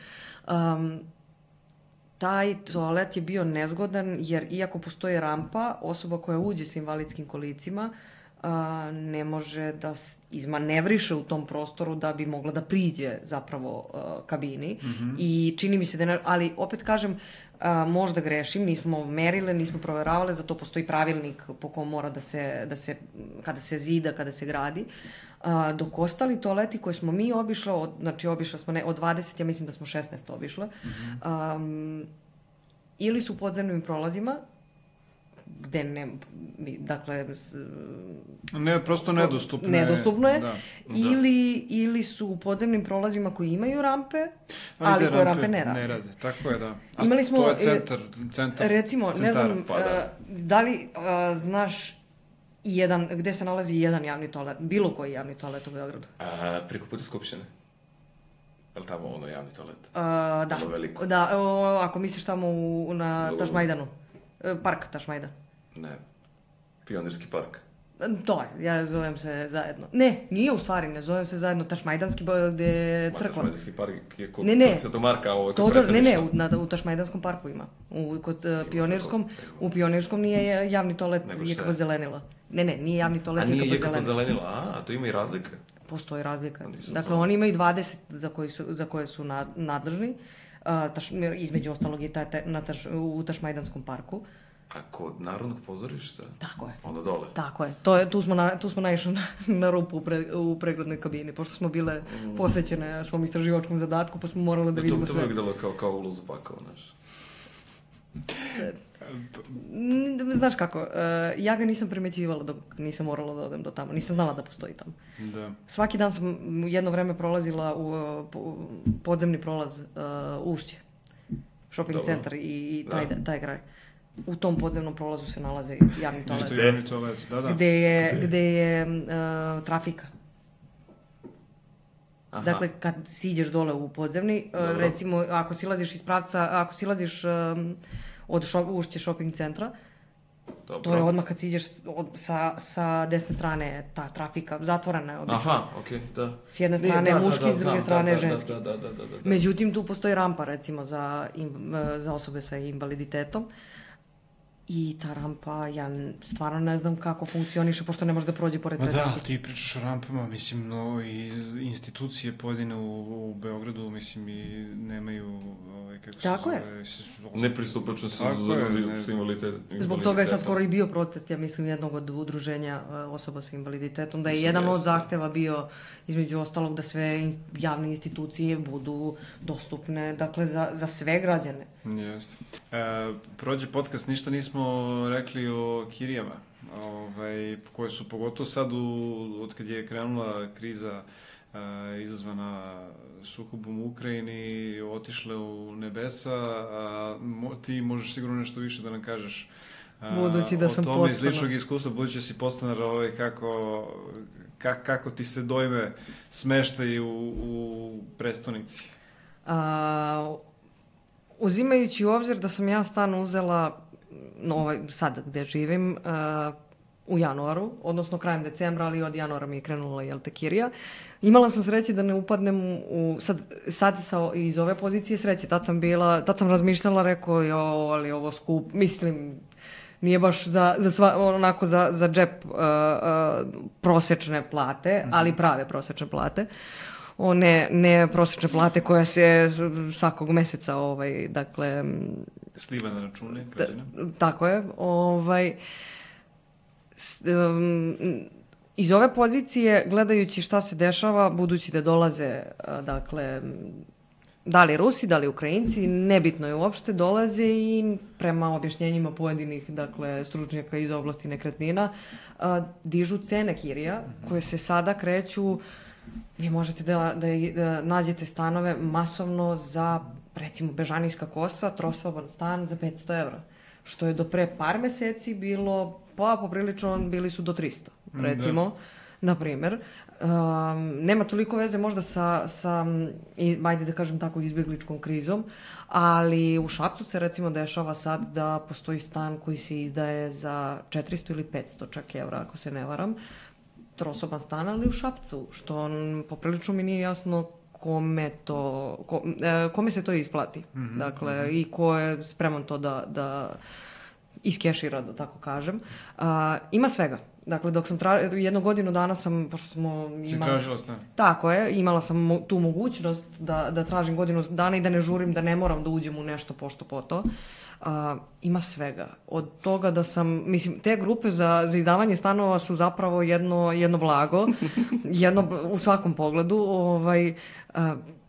taj toalet je bio nezgodan, jer iako postoji rampa, osoba koja uđe sa invalidskim kolicima ne može da izmanevriše u tom prostoru da bi mogla da priđe zapravo kabini. I čini mi se da ali opet kažem, možda grešim, nismo merile, nismo proveravale, zato postoji pravilnik po kom mora da se kada se zida, kada se gradi. Dok ostali toaleti koje smo mi obišle, znači obišle smo od 20, ja mislim da smo 16 obišle, ili su u podzemnim prolazima, gde ne, dakle... prosto nedostupno je. Nedostupno je. Ili su u podzemnim prolazima koji imaju rampe, ali koje rampe ne rade. Ne rade, tako je, da. Imali smo... To je centar. Recimo, ne znam, da li znaš gde se nalazi jedan javni toalet, bilo koji javni toalet u Beogradu? Preko puta Skupštine. Je li tamo javni toalet? Da, ako misliš tamo na Tašmajdanu. Park Tašmajdan. Ne, Pionirski park. To je, ja zovem se zajedno. Ne, nije u stvari, ne zovem se zajedno Tašmajdanski, gde je crkva. Tašmajdanski park je kod Svetog Marka, ovo je kod predsjedništva. U Tašmajdanskom parku ima. Kod Pionirskom, u Pionirskom nije javni toalet Jekaba Zelenila. Ne, nije javni toalet Jekaba Zelenila. A nije Jekaba Zelenila, a to ima i razlike? Postoji razlika. Dakle, oni imaju 20 za koje su nadležni. Između ostalog je u Tašmajdanskom parku. A kod Narodnog pozorišta? Tako je. Onda dole? Tako je. Tu smo naišli na rupu u preglednoj kabini, pošto smo bile posvećene svom istraživačkom zadatku, pa smo morali da vidimo sve. To bi delo kao ulaz u pakao, znaš. Znaš kako, ja ga nisam primećivala dok nisam morala da odem do tamo. Nisam znala da postoji tamo. Da. Svaki dan sam jedno vreme prolazila u podzemni prolaz Ušće. Shopping centar i taj kraj. U tom podzemnom prolazu se nalaze javni toalet. Isto javni toalet, da. Gde je trafika. Aha. Dakle, kad siđeš dole u podzemni, recimo, ako silaziš iz pravca, ako silaziš od Ušće shopping centra, to je odmah kad siđeš sa desne strane ta trafika, zatvorena je obično. Aha, okej, da. S jedne strane muški, s druge strane ženski. Da. Međutim, tu postoji rampa, recimo, za osobe sa invaliditetom. I ta rampa, ja stvarno ne znam kako funkcioniše, pošto ne može da prođe pored te rampe. Da, ti pričaš o rampama, mislim, i institucije pojedine u Beogradu, mislim, i nemaju, kako se tako zove... Nepristupačnost s invaliditetom. Zbog toga je sad skoro i bio protest, ja mislim, jednog od udruženja osoba sa invaliditetom, da je jedan od zahteva bio, između ostalog, da sve javne institucije budu dostupne, dakle, za sve građane. Jeste. Prođe podcast, ništa nismo rekli o kirijama, koje su pogotovo sad, od kad je krenula kriza izazvana sukobom u Ukrajini, otišle u nebesa, ti možeš sigurno nešto više da nam kažeš budući da sam o tome iz ličnog iskustva, budući da si podstanar, kako ti se dojme smeštaj u prestonici? Uzimajući u obzir da sam ja stan uzela sad gde živim u januaru, odnosno krajem decembra, ali od januara mi je krenula kirija. Imala sam sreće da ne upadnem sad iz ove pozicije sreće. Tad sam razmišljala, rekao, ali ovo skup, mislim, nije baš za džep prosečne plate, ali prave prosečne plate. Ne prosečne plate koja se svakog meseca, dakle... Sliva na račune, građana. Tako je. Iz ove pozicije, gledajući šta se dešava, budući da dolaze, dakle, da li Rusi, da li Ukrajinci, nebitno je uopšte, dolaze i prema objašnjenjima pojedinih, dakle, stručnjaka iz oblasti nekretnina, dižu cene kirija, koje se sada kreću. Vi možete da nađete stanove masovno za, recimo, Bežanijska kosa, trosoban stan za 500 evra. Što je do pre par meseci bilo, poprilično, bili su do 300, recimo, na primer. Nema toliko veze možda sa, ajde da kažem tako, izbjegličkom krizom, ali u Šapcu se, recimo, dešava sad da postoji stan koji se izdaje za 400 ili 500 čak evra, ako se ne varam, trosoban stan, ali u Šapcu, što poprilično mi nije jasno kome se to isplati. Dakle, i ko je spreman to da iskešira, da tako kažem. Ima svega. Dakle, dok sam jednu godinu dana sam, pošto smo imali... Si tražila stan? Tako je, imala sam tu mogućnost da tražim godinu dana i da ne žurim, da ne moram da uđem u nešto pošto po to. Ima svega. Od toga da sam, mislim, te grupe za izdavanje stanova su zapravo jedno blago, u svakom pogledu.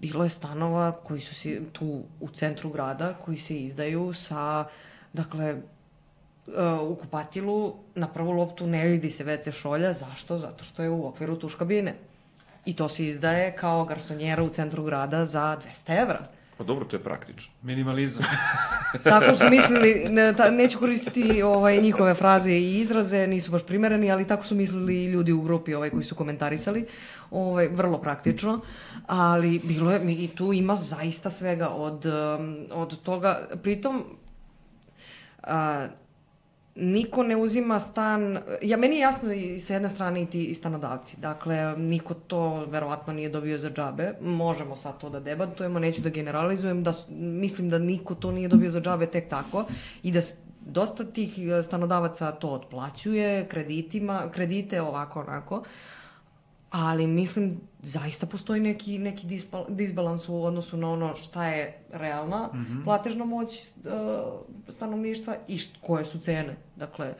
Bilo je stanova koji su tu u centru grada, koji se izdaju sa, dakle, u kupatilu na prvu loptu ne vidi se WC šolja. Zašto? Zato što je u okviru tuš kabine. I to se izdaje kao garsonjera u centru grada za 200 evra. Pa dobro, to je praktično. Minimalizam. Tako su mislili, neću koristiti njihove fraze i izraze, nisu baš primereni, ali tako su mislili ljudi u grupi koji su komentarisali. Vrlo praktično, ali bilo je, i tu ima zaista svega od toga. Pritom, niko ne uzima stan, meni je jasno i sa jedne strane i ti stanodavci, dakle, niko to verovatno nije dobio za džabe, možemo sad to da debatujemo, neću da generalizujem, mislim da niko to nije dobio za džabe tek tako i da dosta tih stanodavaca to otplaćuje kredite ovako onako, ali mislim zaista postoji neki disbalans u odnosu na ono šta je realna platežna moć stanovništva i koje su cene. Dakle,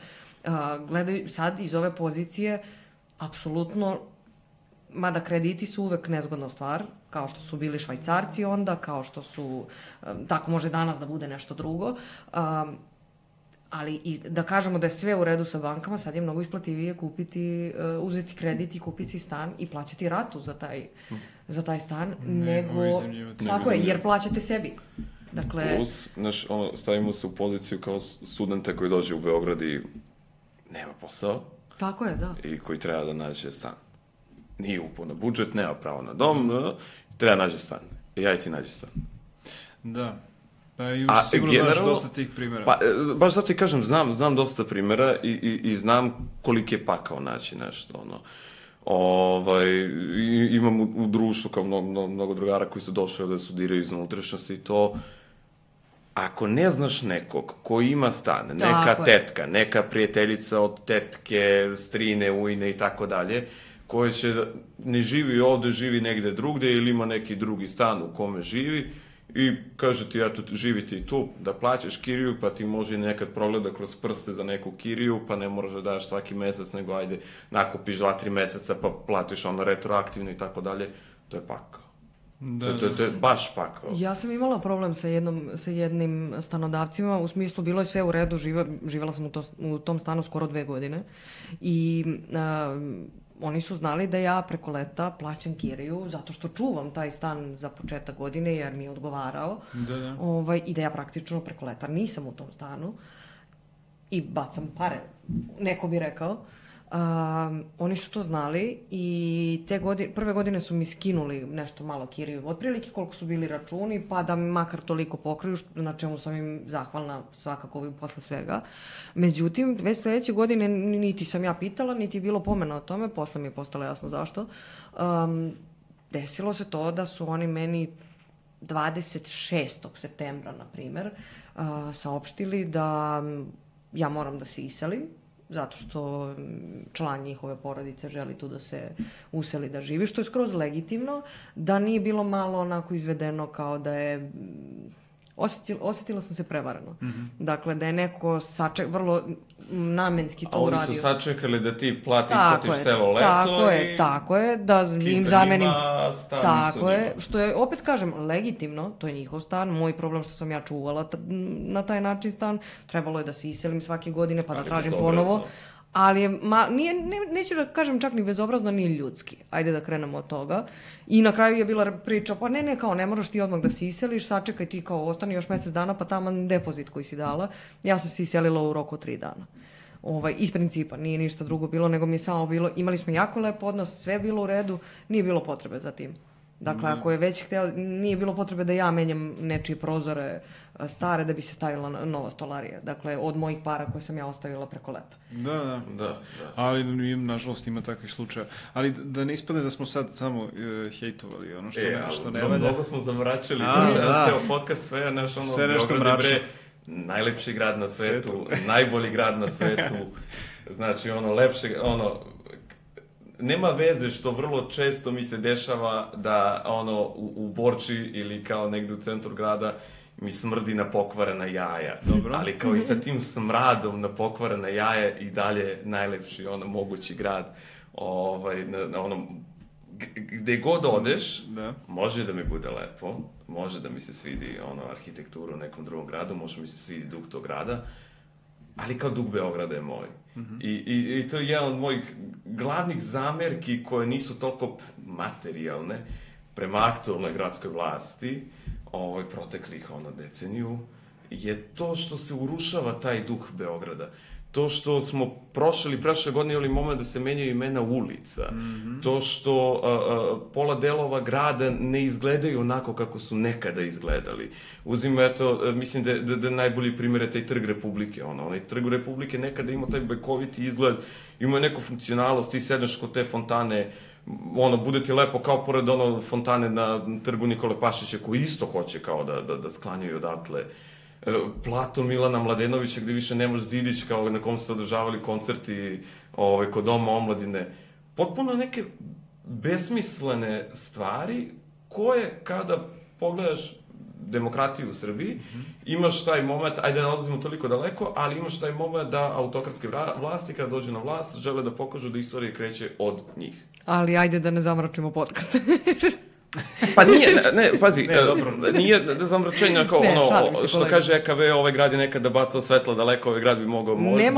gledaju sad iz ove pozicije, apsolutno, mada krediti su uvek nezgodna stvar, kao što su bili Švajcarci onda, kao što su, tako može danas da bude nešto drugo, ali i da kažemo da je sve u redu sa bankama, sad je mnogo isplativije uzeti kredit i kupiti stan i plaćati ratu za taj stan, nego tako je, jer plaćate sebi. Dakle, plus, stavimo se u poziciju kao studenta koji dođe u Beograd i nema posao. Tako je, da. I koji treba da nađe stan. Nije upao na budžet, nema pravo na dom, treba nađe stan. I ja i ti nađe stan. Da. Pa sigurno znaš dosta tih primjera. Pa, baš zato i kažem, znam dosta primjera i znam koliko je pakao naći nešto, imam u društvu kao mnogo drugara koji su došli da studiraju iz unutrašnjosti i to, ako ne znaš nekog koji ima stan, neka tetka, neka prijateljica od tetke, strine, ujne i tako dalje, koja ne živi ovde, živi negde drugde ili ima neki drugi stan u kome živi, i kaže ti, eto, živi ti tu, da plaćaš kiriju, pa ti može nekad progleda kroz prste za neku kiriju, pa ne moraš da daš svaki mesec, nego ajde, nakupiš 2-3 meseca, pa platiš retroaktivno i tako dalje. To je pakao. To je baš pakao. Ja sam imala problem sa jednim stanodavcima, u smislu bilo je sve u redu, živjela sam u tom stanu skoro 2 godine i oni su znali da ja preko leta plaćam kiriju zato što čuvam taj stan za početak godine jer mi je odgovarao. I da ja praktično preko leta nisam u tom stanu i bacam pare, neko bi rekao. Oni su to znali i prve godine su mi skinuli nešto malo kiriju, otprilike koliko su bili računi, pa da mi makar toliko pokriju, na čemu sam im zahvalna svakako posle svega. Međutim, već sledeće godine niti sam ja pitala, niti je bilo pomena o tome, posle mi je postalo jasno zašto. Desilo se to da su oni meni 26. septembra, na primer, saopštili da ja moram da se iselim, zato što član njihove porodice želi tu da se useli da živi, što je skroz legitimno, da nije bilo malo onako izvedeno kao da je... Osjetila sam se prevarano. Dakle, da je neko vrlo namenski to uradio. A oni su sačekali da ti isplatiš celo leto Tako je, da im zamenim... Tako je, što je, opet kažem, legitimno, to je njihov stan, moj problem što sam ja čuvala na taj način stan, trebalo je da se iselim svake godine pa da tražim ponovo. Ali neću da kažem čak ni bezobrazno, ni ljudski. Ajde da krenemo od toga. I na kraju je bila priča, pa ne moraš ti odmah da se iseliš, sačekaj ti kao ostani još mesec dana, pa taman depozit koji si dala. Ja sam se iselila u roku 3 dana. Iz principa, nije ništa drugo bilo, nego mi je samo bilo, imali smo jako lep odnos, sve je bilo u redu, nije bilo potrebe za tim. Dakle, ako je već hteo, nije bilo potrebe da ja menjam nečije prozore stare da bi se stavila nova stolarija. Dakle, od mojih para koje sam ja ostavila preko leta. Da. Ali, nažalost, ima takvih slučaja. Ali da ne ispadne da smo sad samo hejtovali ono što ne valja. Mnogo smo zavraćali za ceo podcast, sve nešto mračno. Najlepši grad na svetu, najbolji grad na svetu. Znači, lepše, nema veze što vrlo često mi se dešava da u Borči ili kao negde u centru grada mi smrdi na pokvarena jaja. Dobro. Ali kao i sa tim smradom na pokvarena jaja i dalje najlepši mogući grad. Gde god odeš, može da mi bude lepo, može da mi se svidi arhitekturu u nekom drugom gradu, može mi se svidi duh tog grada, ali kao duh Beograda je moj. I to je jedan od mojih glavnih zamerki koje nisu toliko materijalne prema aktualnoj gradskoj vlasti, proteklih deceniju, je to što se urušava taj duh Beograda. to što smo prošle godine imali moment da se menjaju imena ulica, to što pola delova grada ne izgledaju onako kako su nekada izgledali. Uzimo, eto, mislim da najbolji primjer je taj Trg Republike. Onaj Trg Republike nekada imao taj bajkoviti izgled, imao neku funkcionalnost, ti sedneš kod te fontane, bude ti lepo kao pored fontane na Trgu Nikole Pašića, koji isto hoće kao da sklanjaju odatle. Platon Milana Mladenovića, gde više nemaš zidić kao na kom su se održavali koncerti kod Doma omladine. Potpuno neke besmislene stvari koje kada pogledaš demokratiju u Srbiji, imaš taj moment, ajde ne odlazimo toliko daleko, ali imaš taj moment da autokratske vlasti kada dođu na vlast žele da pokažu da istorija kreće od njih. Ali ajde da ne zamračimo podcast. Pa nije, pazi, nije da zamračenja kao što kaže EKV, ovaj grad je nekada bacao svetla daleko, ovaj grad bi mogao bolje.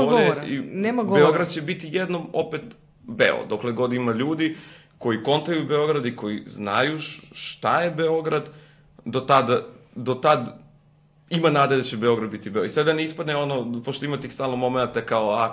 Nema govora. Beograd će biti jednom opet beo, dokle god ima ljudi koji kontaju Beograd i koji znaju šta je Beograd, do tad ima nade da će Beograd biti Beograd. I sada ne ispadne pošto ima tih stalno momenta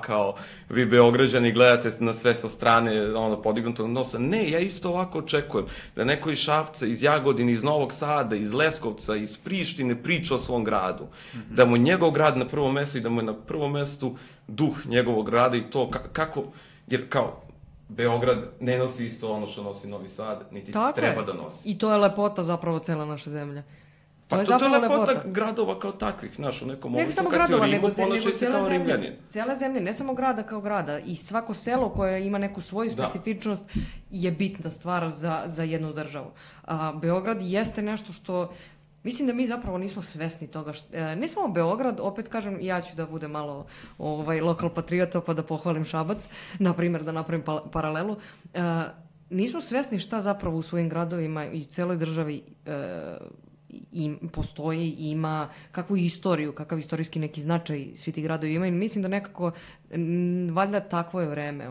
kao vi Beograđani gledate na sve sa strane podignutog nosa. Ne, ja isto ovako očekujem da neko iz Šapca, iz Jagodine, iz Novog Sada, iz Leskovca, iz Prištine priča o svom gradu. Da mu njegov grad na prvom mestu i da mu je na prvom mestu duh njegovog grada i to kako, jer kao Beograd ne nosi isto ono što nosi Novi Sad, niti treba da nosi. I to je lepota zapravo cela naša zemlja. Pa to je lepota gradova kao takvih, znaš, u nekom momentu kad si u Rimu, ponašaj se kao Rimljanin. Cijela zemlja, ne samo grada kao grada, i svako selo koje ima neku svoju specifičnost je bitna stvar za jednu državu. Beograd jeste nešto što, mislim da mi zapravo nismo svesni toga. Ne samo Beograd, opet kažem, ja ću da budem malo lokal patriota pa da pohvalim Šabac, na primjer da napravim paralelu. Nismo svesni šta zapravo u svojim gradovima i u celoj državi postoji i ima kakvu istoriju, kakav istorijski neki značaj svi ti gradovi imaju. Mislim da nekako, valjda takvo je vreme.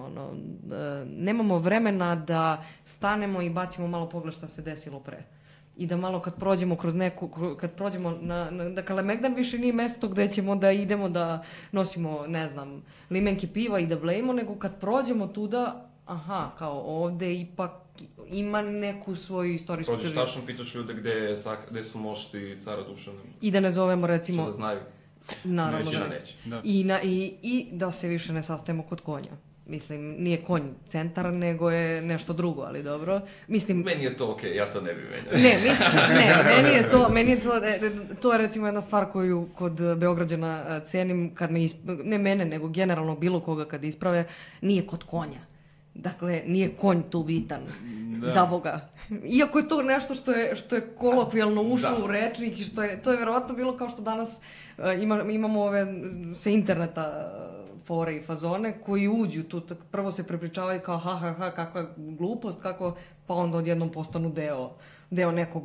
Nemamo vremena da stanemo i bacimo malo pogled šta se desilo pre. I da malo kad prođemo kroz kad prođemo da Kalemegdan više nije mesto gde ćemo da idemo da nosimo, ne znam, limenke piva i da blejimo, nego kad prođemo tuda, kao ovde ipak ima neku svoju istorijsku težinu. Prođeš tačno, pitaš ljude gde su mošti cara Dušana. I da ne zovemo, recimo... Što da znaju. Naravno da neće. I da se više ne sastajemo kod konja. Mislim, nije konj centar, nego je nešto drugo, ali dobro. Mislim... Meni je to okej, ja to ne bih menjao. Meni je to je recimo jedna stvar koju kod Beograđana cenim, kad ne mene, nego generalno bilo koga kad isprave, nije kod konja. Dakle, nije konj tu bitan, za Boga. Iako je to nešto što je kolokvijalno ušlo u rečnik i to je verovatno bilo kao što danas imamo ove sa interneta fore i fazone koji uđu tu, prvo se prepričavaju kao kakva glupost, pa onda odjednom postanu deo nekog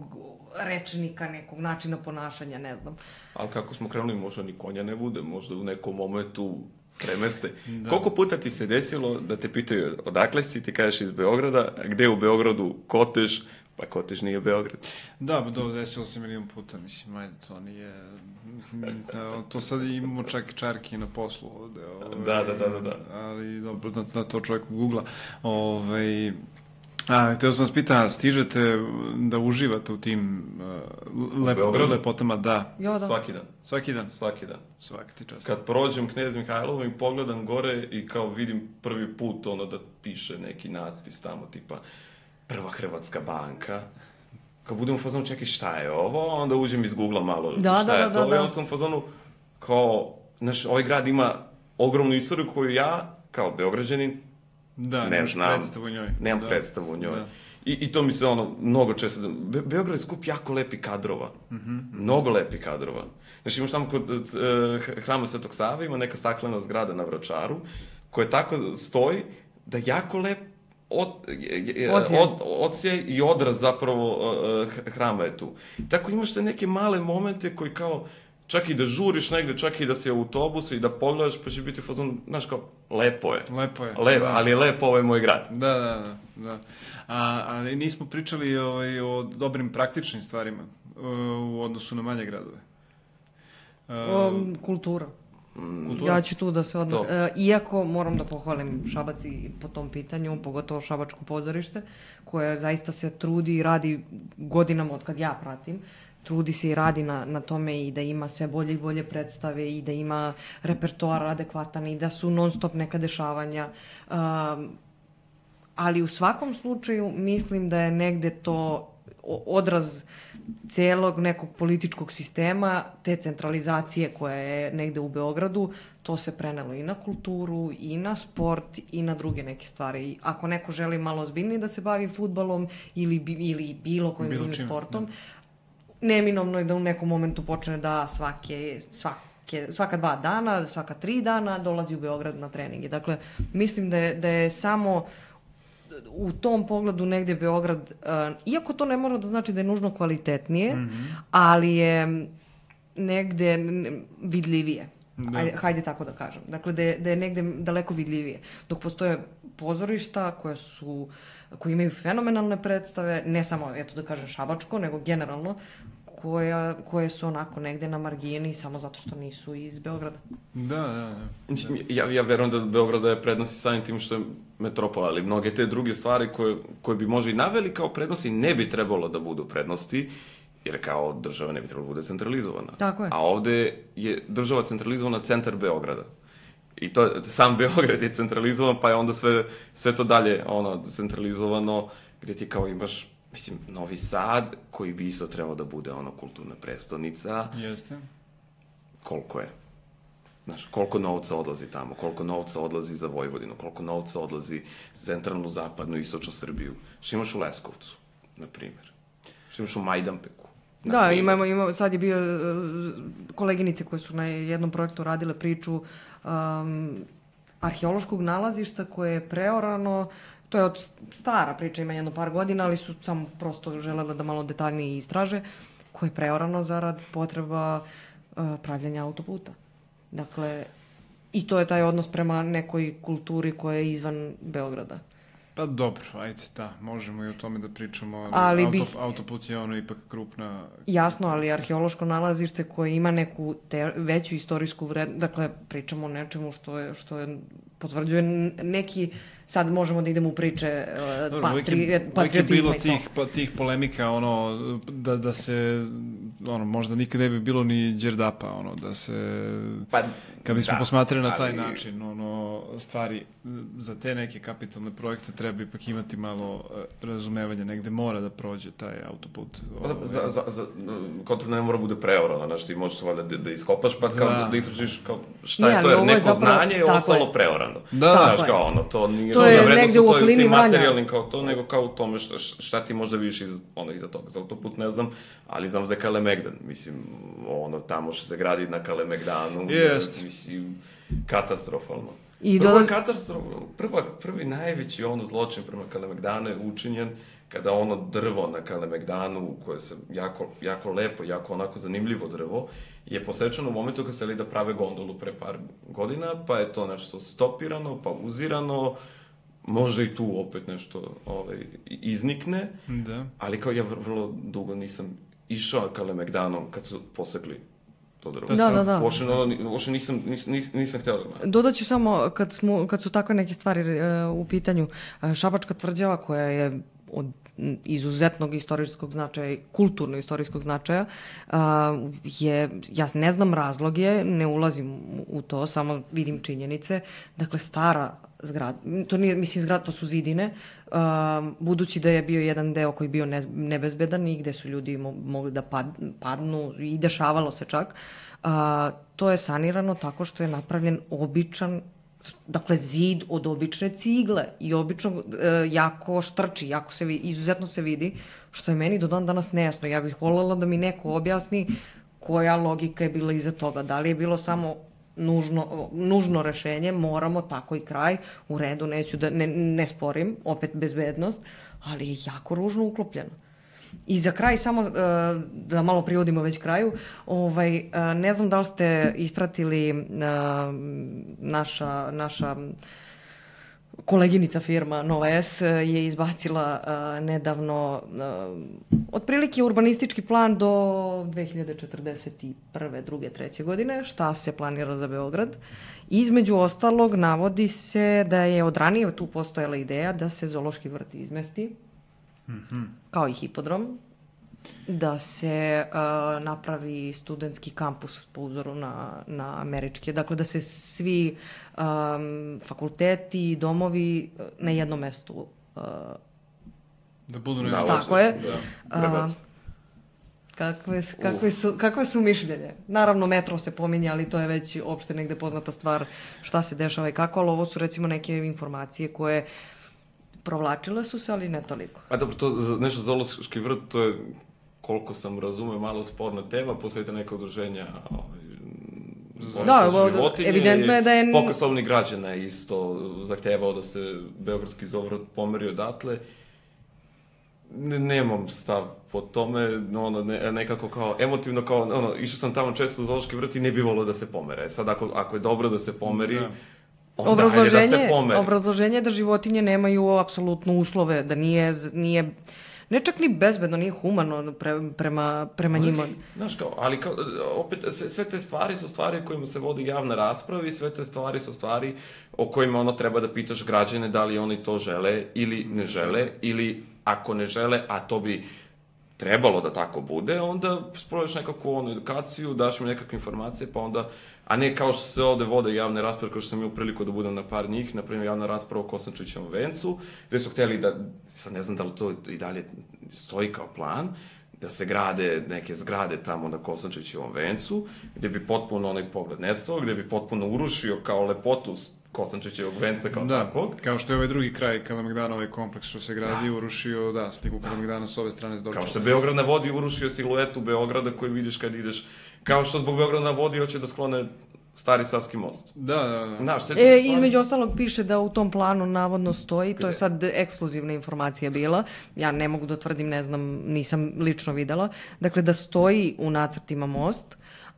rečnika, nekog načina ponašanja, ne znam. Ali kako smo krenuli, možda ni konja ne bude, možda u nekom momentu premeste. Koliko puta ti se desilo da te pitaju odakle si, ti kažeš iz Beograda, a gde u Beogradu Kotež, pa Kotež nije Beograd. Da, desilo se milion puta, mislim, ajde, to nije... To sad imamo čak i čarki na poslu ovde. Da. Ali dobro, da to čovjek googla. Htio sam vas pitan, stižete da uživate u tim lepotama? Da. Svaki dan. Svaki dan? Svaki ti čast. Kad prođem Knez Mihajlovo i pogledam gore i kao vidim prvi put da piše neki natpis tamo tipa Prva Hrvatska banka. Kad budem u fazonu, čekaj šta je ovo, onda uđem iz Google malo šta je to. I onda sam u fazonu kao, znaš, ovaj grad ima ogromnu istoriju koju ja, kao Beograđanin, ne znam, nemam predstavu o njoj. I to mi se mnogo često... Beograd je skup jako lepi kadrova. Mnogo lepi kadrova. Znači imaš tamo kod Hrama Svetog Save, ima neka staklena zgrada na Vračaru, koja tako stoji da jako lep odsjaj i odraz zapravo hrama je tu. Tako imaš te neke male momente koji kao... Čak i da žuriš negde, čak i da si u autobusu i da pogledaš, pa će biti fazon, znaš kao, lepo je. Ali je lepo ovaj moj grad. Da. Ali nismo pričali o dobrim praktičnim stvarima u odnosu na manje gradove. Kultura. Ja ću tu da se iako moram da pohvalim Šabac i po tom pitanju, pogotovo Šabačko pozorište, koje zaista se trudi i radi godinama od kad ja pratim, trudi se i radi na tome i da ima sve bolje i bolje predstave i da ima repertoar adekvatan i da su non stop neka dešavanja. Ali u svakom slučaju mislim da je negde to odraz celog nekog političkog sistema, te centralizacije koja je negde u Beogradu, to se prenelo i na kulturu, i na sport, i na druge neke stvari. Ako neko želi malo ozbiljnije da se bavi fudbalom ili bilo kojim drugim sportom, neminovno je da u nekom momentu počne da svaka 2 dana, svaka 3 dana dolazi u Beograd na treninge. Dakle, mislim da je samo u tom pogledu negde Beograd, iako to ne mora da znači da je nužno kvalitetnije, ali je negde vidljivije. Hajde tako da kažem. Dakle, da je negde daleko vidljivije. Dok postoje pozorišta koji imaju fenomenalne predstave, ne samo, eto da kažem, Šabačko, nego generalno, koje su onako negde na margini samo zato što nisu iz Beograda. Da. Ja verujem da Beograd daje prednosti samim tim što je metropola, ali mnoge te druge stvari koje bi možda i naveli kao prednosti ne bi trebalo da budu prednosti, jer kao država ne bi trebalo da bude centralizovana. Tako je. A ovde je država centralizovana centar Beograda. I to, sam Beograd je centralizovan, pa je onda sve to dalje centralizovano, gde ti kao imaš, mislim, Novi Sad, koji bi isto trebao da bude kulturna prestonica. Jeste. Koliko je? Znaš, koliko novca odlazi tamo, koliko novca odlazi za Vojvodinu, koliko novca odlazi za centralnu, zapadnu i istočnu Srbiju. Što imaš u Leskovcu, na primjer. Što imaš u Majdanpeku. Da, imamo, sad je bio koleginice koje su na jednom projektu radile priču arheološkog nalazišta koje je preorano. To je stara priča, ima jedno par godina, ali su samo prosto želele da malo detaljnije istraže, koje je preorano zarad potreba pravljenja autoputa. Dakle, i to je taj odnos prema nekoj kulturi koja je izvan Beograda. Pa dobro, ajde, da, možemo i o tome da pričamo, autoput je ipak krupna... Jasno, ali arheološko nalazište koje ima neku veću istorijsku vrednost, dakle, pričamo o nečemu što je potvrđuje neki... Sad možemo da idemo u priče patriotizma i to. Uvijek je bilo tih polemika, da se, možda nikad ne bi bilo ni Đerdapa, da se, kad bismo posmatrali na taj način, stvari, za te neke kapitalne projekte treba ipak imati malo razumevanja, negde mora da prođe taj autoput. Kontra ne mora bude preorano, znaš, ti možeš da iskopaš, pa kao da istražiš šta je to, jer neko znanje je ostalo preorano. Znaš, kao to nije... To je negde u okolini Vranja. Materijalnim kao to, nego kao u tome šta ti možda vidiš iza toga. Za autoput ne znam, ali znam za Kalemegdan. Mislim, tamo što se gradi na Kalemegdanu, mislim, katastrofalno. Prvo je katastrofalno. Prvi najveći zločin prema Kalemegdanu je učinjen kada drvo na Kalemegdanu, koje se jako lepo, jako onako zanimljivo drvo, je posečeno u momentu kad se da prave gondolu pre par godina, pa je to nešto stopirano, pauzirano, može i tu opet nešto iznikne, ali kao ja vrlo dugo nisam išao Kalemegdanom kad su posekli to drvo. Da. Uopšte nisam htjela. Dodaću samo, kad su takve neke stvari u pitanju, Šabačka tvrđava koja je od izuzetnog istorijskog značaja, kulturno-istorijskog značaja, ja ne znam razloge, ne ulazim u to, samo vidim činjenice. Dakle, stara zgrada, to nije, mislim, zgrada, to su zidine, budući da je bio jedan deo koji je bio nebezbedan i gde su ljudi mogli da padnu i dešavalo se čak, to je sanirano tako što je napravljen običan, dakle, zid od obične cigle i obično jako štrči, izuzetno se vidi, što je meni do dan danas nejasno. Ja bih voljela da mi neko objasni koja logika je bila iza toga. Da li je bilo samo nužno rešenje, moramo tako i kraj, u redu, neću da ne sporim, opet bezbednost, ali je jako ružno uklopljeno. I za kraj, samo da malo privodimo već kraju, ne znam da li ste ispratili naša koleginica firma Nova S je izbacila nedavno otprilike urbanistički plan do 2041. 2. 3. godine, šta se planira za Beograd. Između ostalog, navodi se da je od ranije tu postojala ideja da se zoološki vrt izmesti, kao i hipodrom, da se napravi studentski kampus po uzoru na američke. Dakle, da se svi fakulteti i domovi na jednom mestu da budu na tako je. Kakve su mišljenje? Naravno, metro se pominje, ali to je već opšte negde poznata stvar šta se dešava i kako, ali ovo su recimo neke informacije koje provlačile su se, ali ne toliko. A dobro, to nešto zoološki vrt, to je, koliko sam razumeo, malo sporna tema, posvetite neka udruženja životinje. Evidentno je da je... Pokosovni građana isto zahtevao da se beogradski zoovrt pomeri odatle. Nemam stav po tome, nekako kao emotivno, kao, išao sam tamo često u zoološki vrt i ne bi volio da se pomere. Sad, ako je dobro da se pomeri, onda hajde da se pomeri. Obrazloženje je da životinje nemaju apsolutno uslove, da nije ne čak ni bezbedno, nije humano prema njima. Znaš kao, ali kao, opet, sve te stvari su stvari o kojima se vodi javna rasprava i sve te stvari su stvari o kojima treba da pitaš građane da li oni to žele ili ne žele, ili ako ne žele, a to bi trebalo da tako bude, onda sproveš nekakvu edukaciju, daš mi nekakve informacije, pa onda, a ne kao što se ovde vode javne rasprave, kao što sam imao priliku da budem na par njih, na primjer javna rasprava o Kosančićevom vencu, gde su hteli da, sad ne znam da li to i dalje stoji kao plan, da se grade neke zgrade tamo na Kosančićevom vencu, gde bi potpuno onaj pogled nestao, gde bi potpuno urušio kao lepotu Kosančićevog venca kao takvog. Kao što je ovaj drugi kraj Kalemegdana, ovaj kompleks što se gradi, urušio, sliku Kalemegdana s ove strane s Dorčeva. Kao što je Beograd na vodi urušio siluetu Beograda koju vidiš kad ideš, kao što zbog Beograda na vodi hoće da sklone Stari Savski most. Da. Između ostalog piše da u tom planu navodno stoji, to je sad ekskluzivna informacija bila, ja ne mogu da tvrdim, ne znam, nisam lično videla, dakle da stoji u nacrtima most,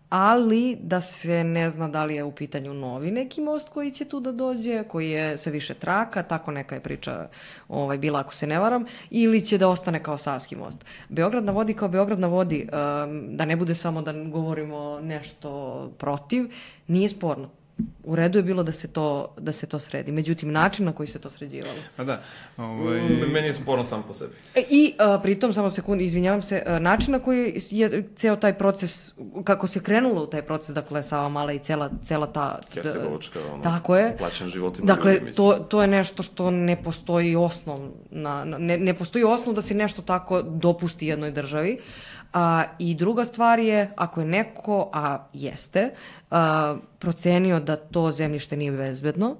ali da se ne zna da li je u pitanju novi neki most koji će tu da dođe, koji je sa više traka, tako neka je priča bila ako se ne varam, ili će da ostane kao Savski most. Beograd na vodi kao Beograd na vodi, da ne bude samo da govorimo nešto protiv, nije sporno. U redu je bilo da se to sredi. Međutim, način na koji se to sređivalo. A da. Meni je sporno sam po sebi. I pritom, samo sekundu, izvinjavam se, način na koji je ceo taj proces, kako se krenulo u taj proces, dakle, Savamala i cela ta... Hercegovačka, tako je. Plaćen životima. Dakle, to je nešto što ne postoji osnov, ne postoji osnov da se nešto tako dopusti jednoj državi. I druga stvar je, ako je neko, a jeste, procenio da to zemljište nije bezbedno,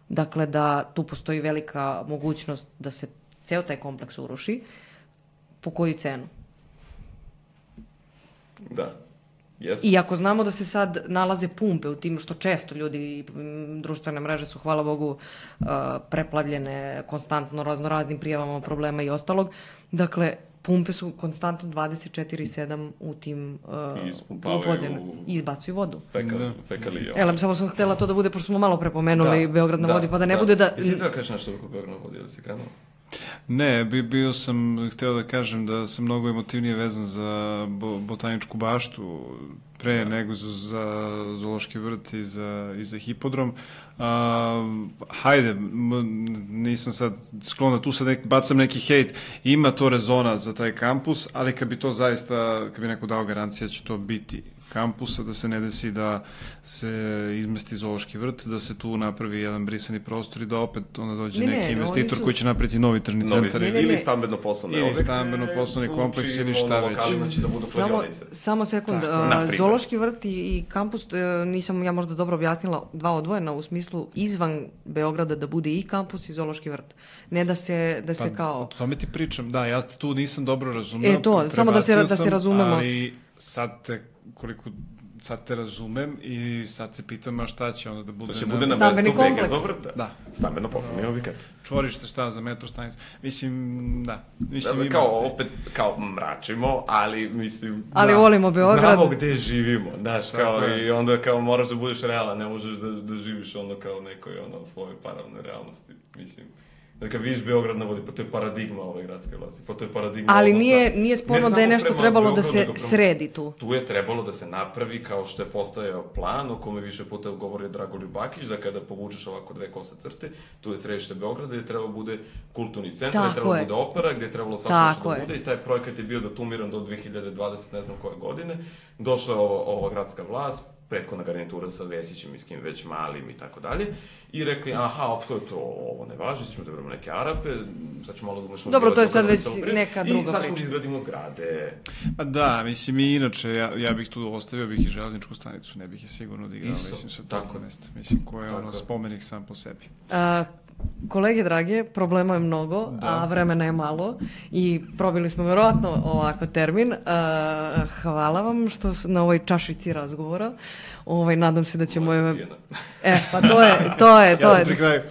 dakle da tu postoji velika mogućnost da se ceo taj kompleks uruši, po koju cenu? Da. Yes. I ako znamo da se sad nalaze pumpe u tim, što često ljudi, društvene mreže su, hvala Bogu, preplavljene konstantno raznoraznim prijavama problema i ostalog, dakle, pumpe su konstantno 24/7 u tim podzemlju. I izbacuju vodu. Fekalije. Samo sam htela to da bude, pošto smo malo prepomenuli Beograd na vodi, pa da ne bude da... Jesi to kažeš nešto oko Beograd na vodi, ili si krenuo? Ne, bio sam, hteo da kažem da sam mnogo emotivnije vezan za botaničku baštu pre nego za zoološki vrt i za hipodrom. Hajde, nisam sad sklon da tu sad bacam neki hejt, ima to rezona za taj kampus, ali kad bi to zaista, kad bi neko dao garancija će to biti kampusa, da se ne desi da se izmesti zoološki vrt, da se tu napravi jedan brisani prostor i da opet onda dođe neki investitor koji će napraviti novi tržni centar. Ili stambeno-poslovni objekt. Ili stambeno-poslovni kompleks ili šta već. Samo sekund, zoološki vrt i kampus, nisam ja možda dobro objasnila, dva odvojena u smislu izvan Beograda da bude i kampus i zoološki vrt. Ne da se kao... O tome ti pričam, da, ja tu nisam dobro razumeo. Samo da se razumemo. Ali sad te razumem i sad se pitam, a šta će onda da bude... Će bude na mestu BG Zovrta? Da. Stambeno poslovni objekat. Čvorište, šta, za metro stanicu? Mislim, da. Opet, kao mračimo, ali mislim... Ali volimo Beograd. Znamo gde živimo, znaš, kao i onda kao moraš da budeš realan, ne možeš da živiš ono kao nekoj svojoj paralelnoj realnosti, mislim... Da kad vidiš Beograd na vodi, pa to je paradigma ove gradske vlasti, pa to je paradigma ali nije sporno da je nešto trebalo da se sredi tu. Tu je trebalo da se napravi kao što je postojao plan, o kome više puta govori Dragoljub Bakić, da kada povučeš ovako dve kose crte, tu je središte Beograda gde je trebalo bude kulturni centar, gde je trebalo bude opera, gde je trebalo svašta da bude i taj projekat je bio datumiran do 2020, ne znam koje godine. Došla je ova gradska vlast, prethodna garnitura sa Vesićem i s kim već Malim i tako dalje, i rekli, aha, ovo ne važi, sad ćemo da vremo neke Arape, sad ćemo malo da umašamo... Dobro, to je sad već neka druga priča. I sad ćemo da izgradimo zgrade. Pa da, mislim, i inače, ja bih tu ostavio bih i železničku stanicu, ne bih je sigurno odigrao, mislim, sa tog mesta. Mislim, ko je ono spomenik sam po sebi. Kolege drage, problema je mnogo, a vremena je malo i probili smo verovatno ovako termin. Hvala vam što na ovoj čašici razgovora. Nadam se da ćemo je... Pa to je. Ja sam pri kraju.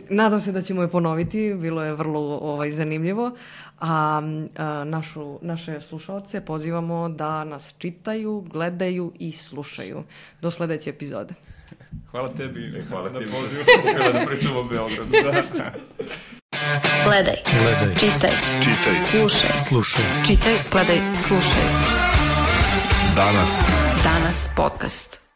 Nadam se da ćemo je ponoviti, bilo je vrlo zanimljivo. A naše slušaoce pozivamo da nas čitaju, gledaju i slušaju. Do sledeće epizode. Hvala tebi. Hvala tebi. Da pričamo o Beogradu. Gledaj. Čitaj. Slušaj. Čitaj, gledaj, slušaj. Danas podcast.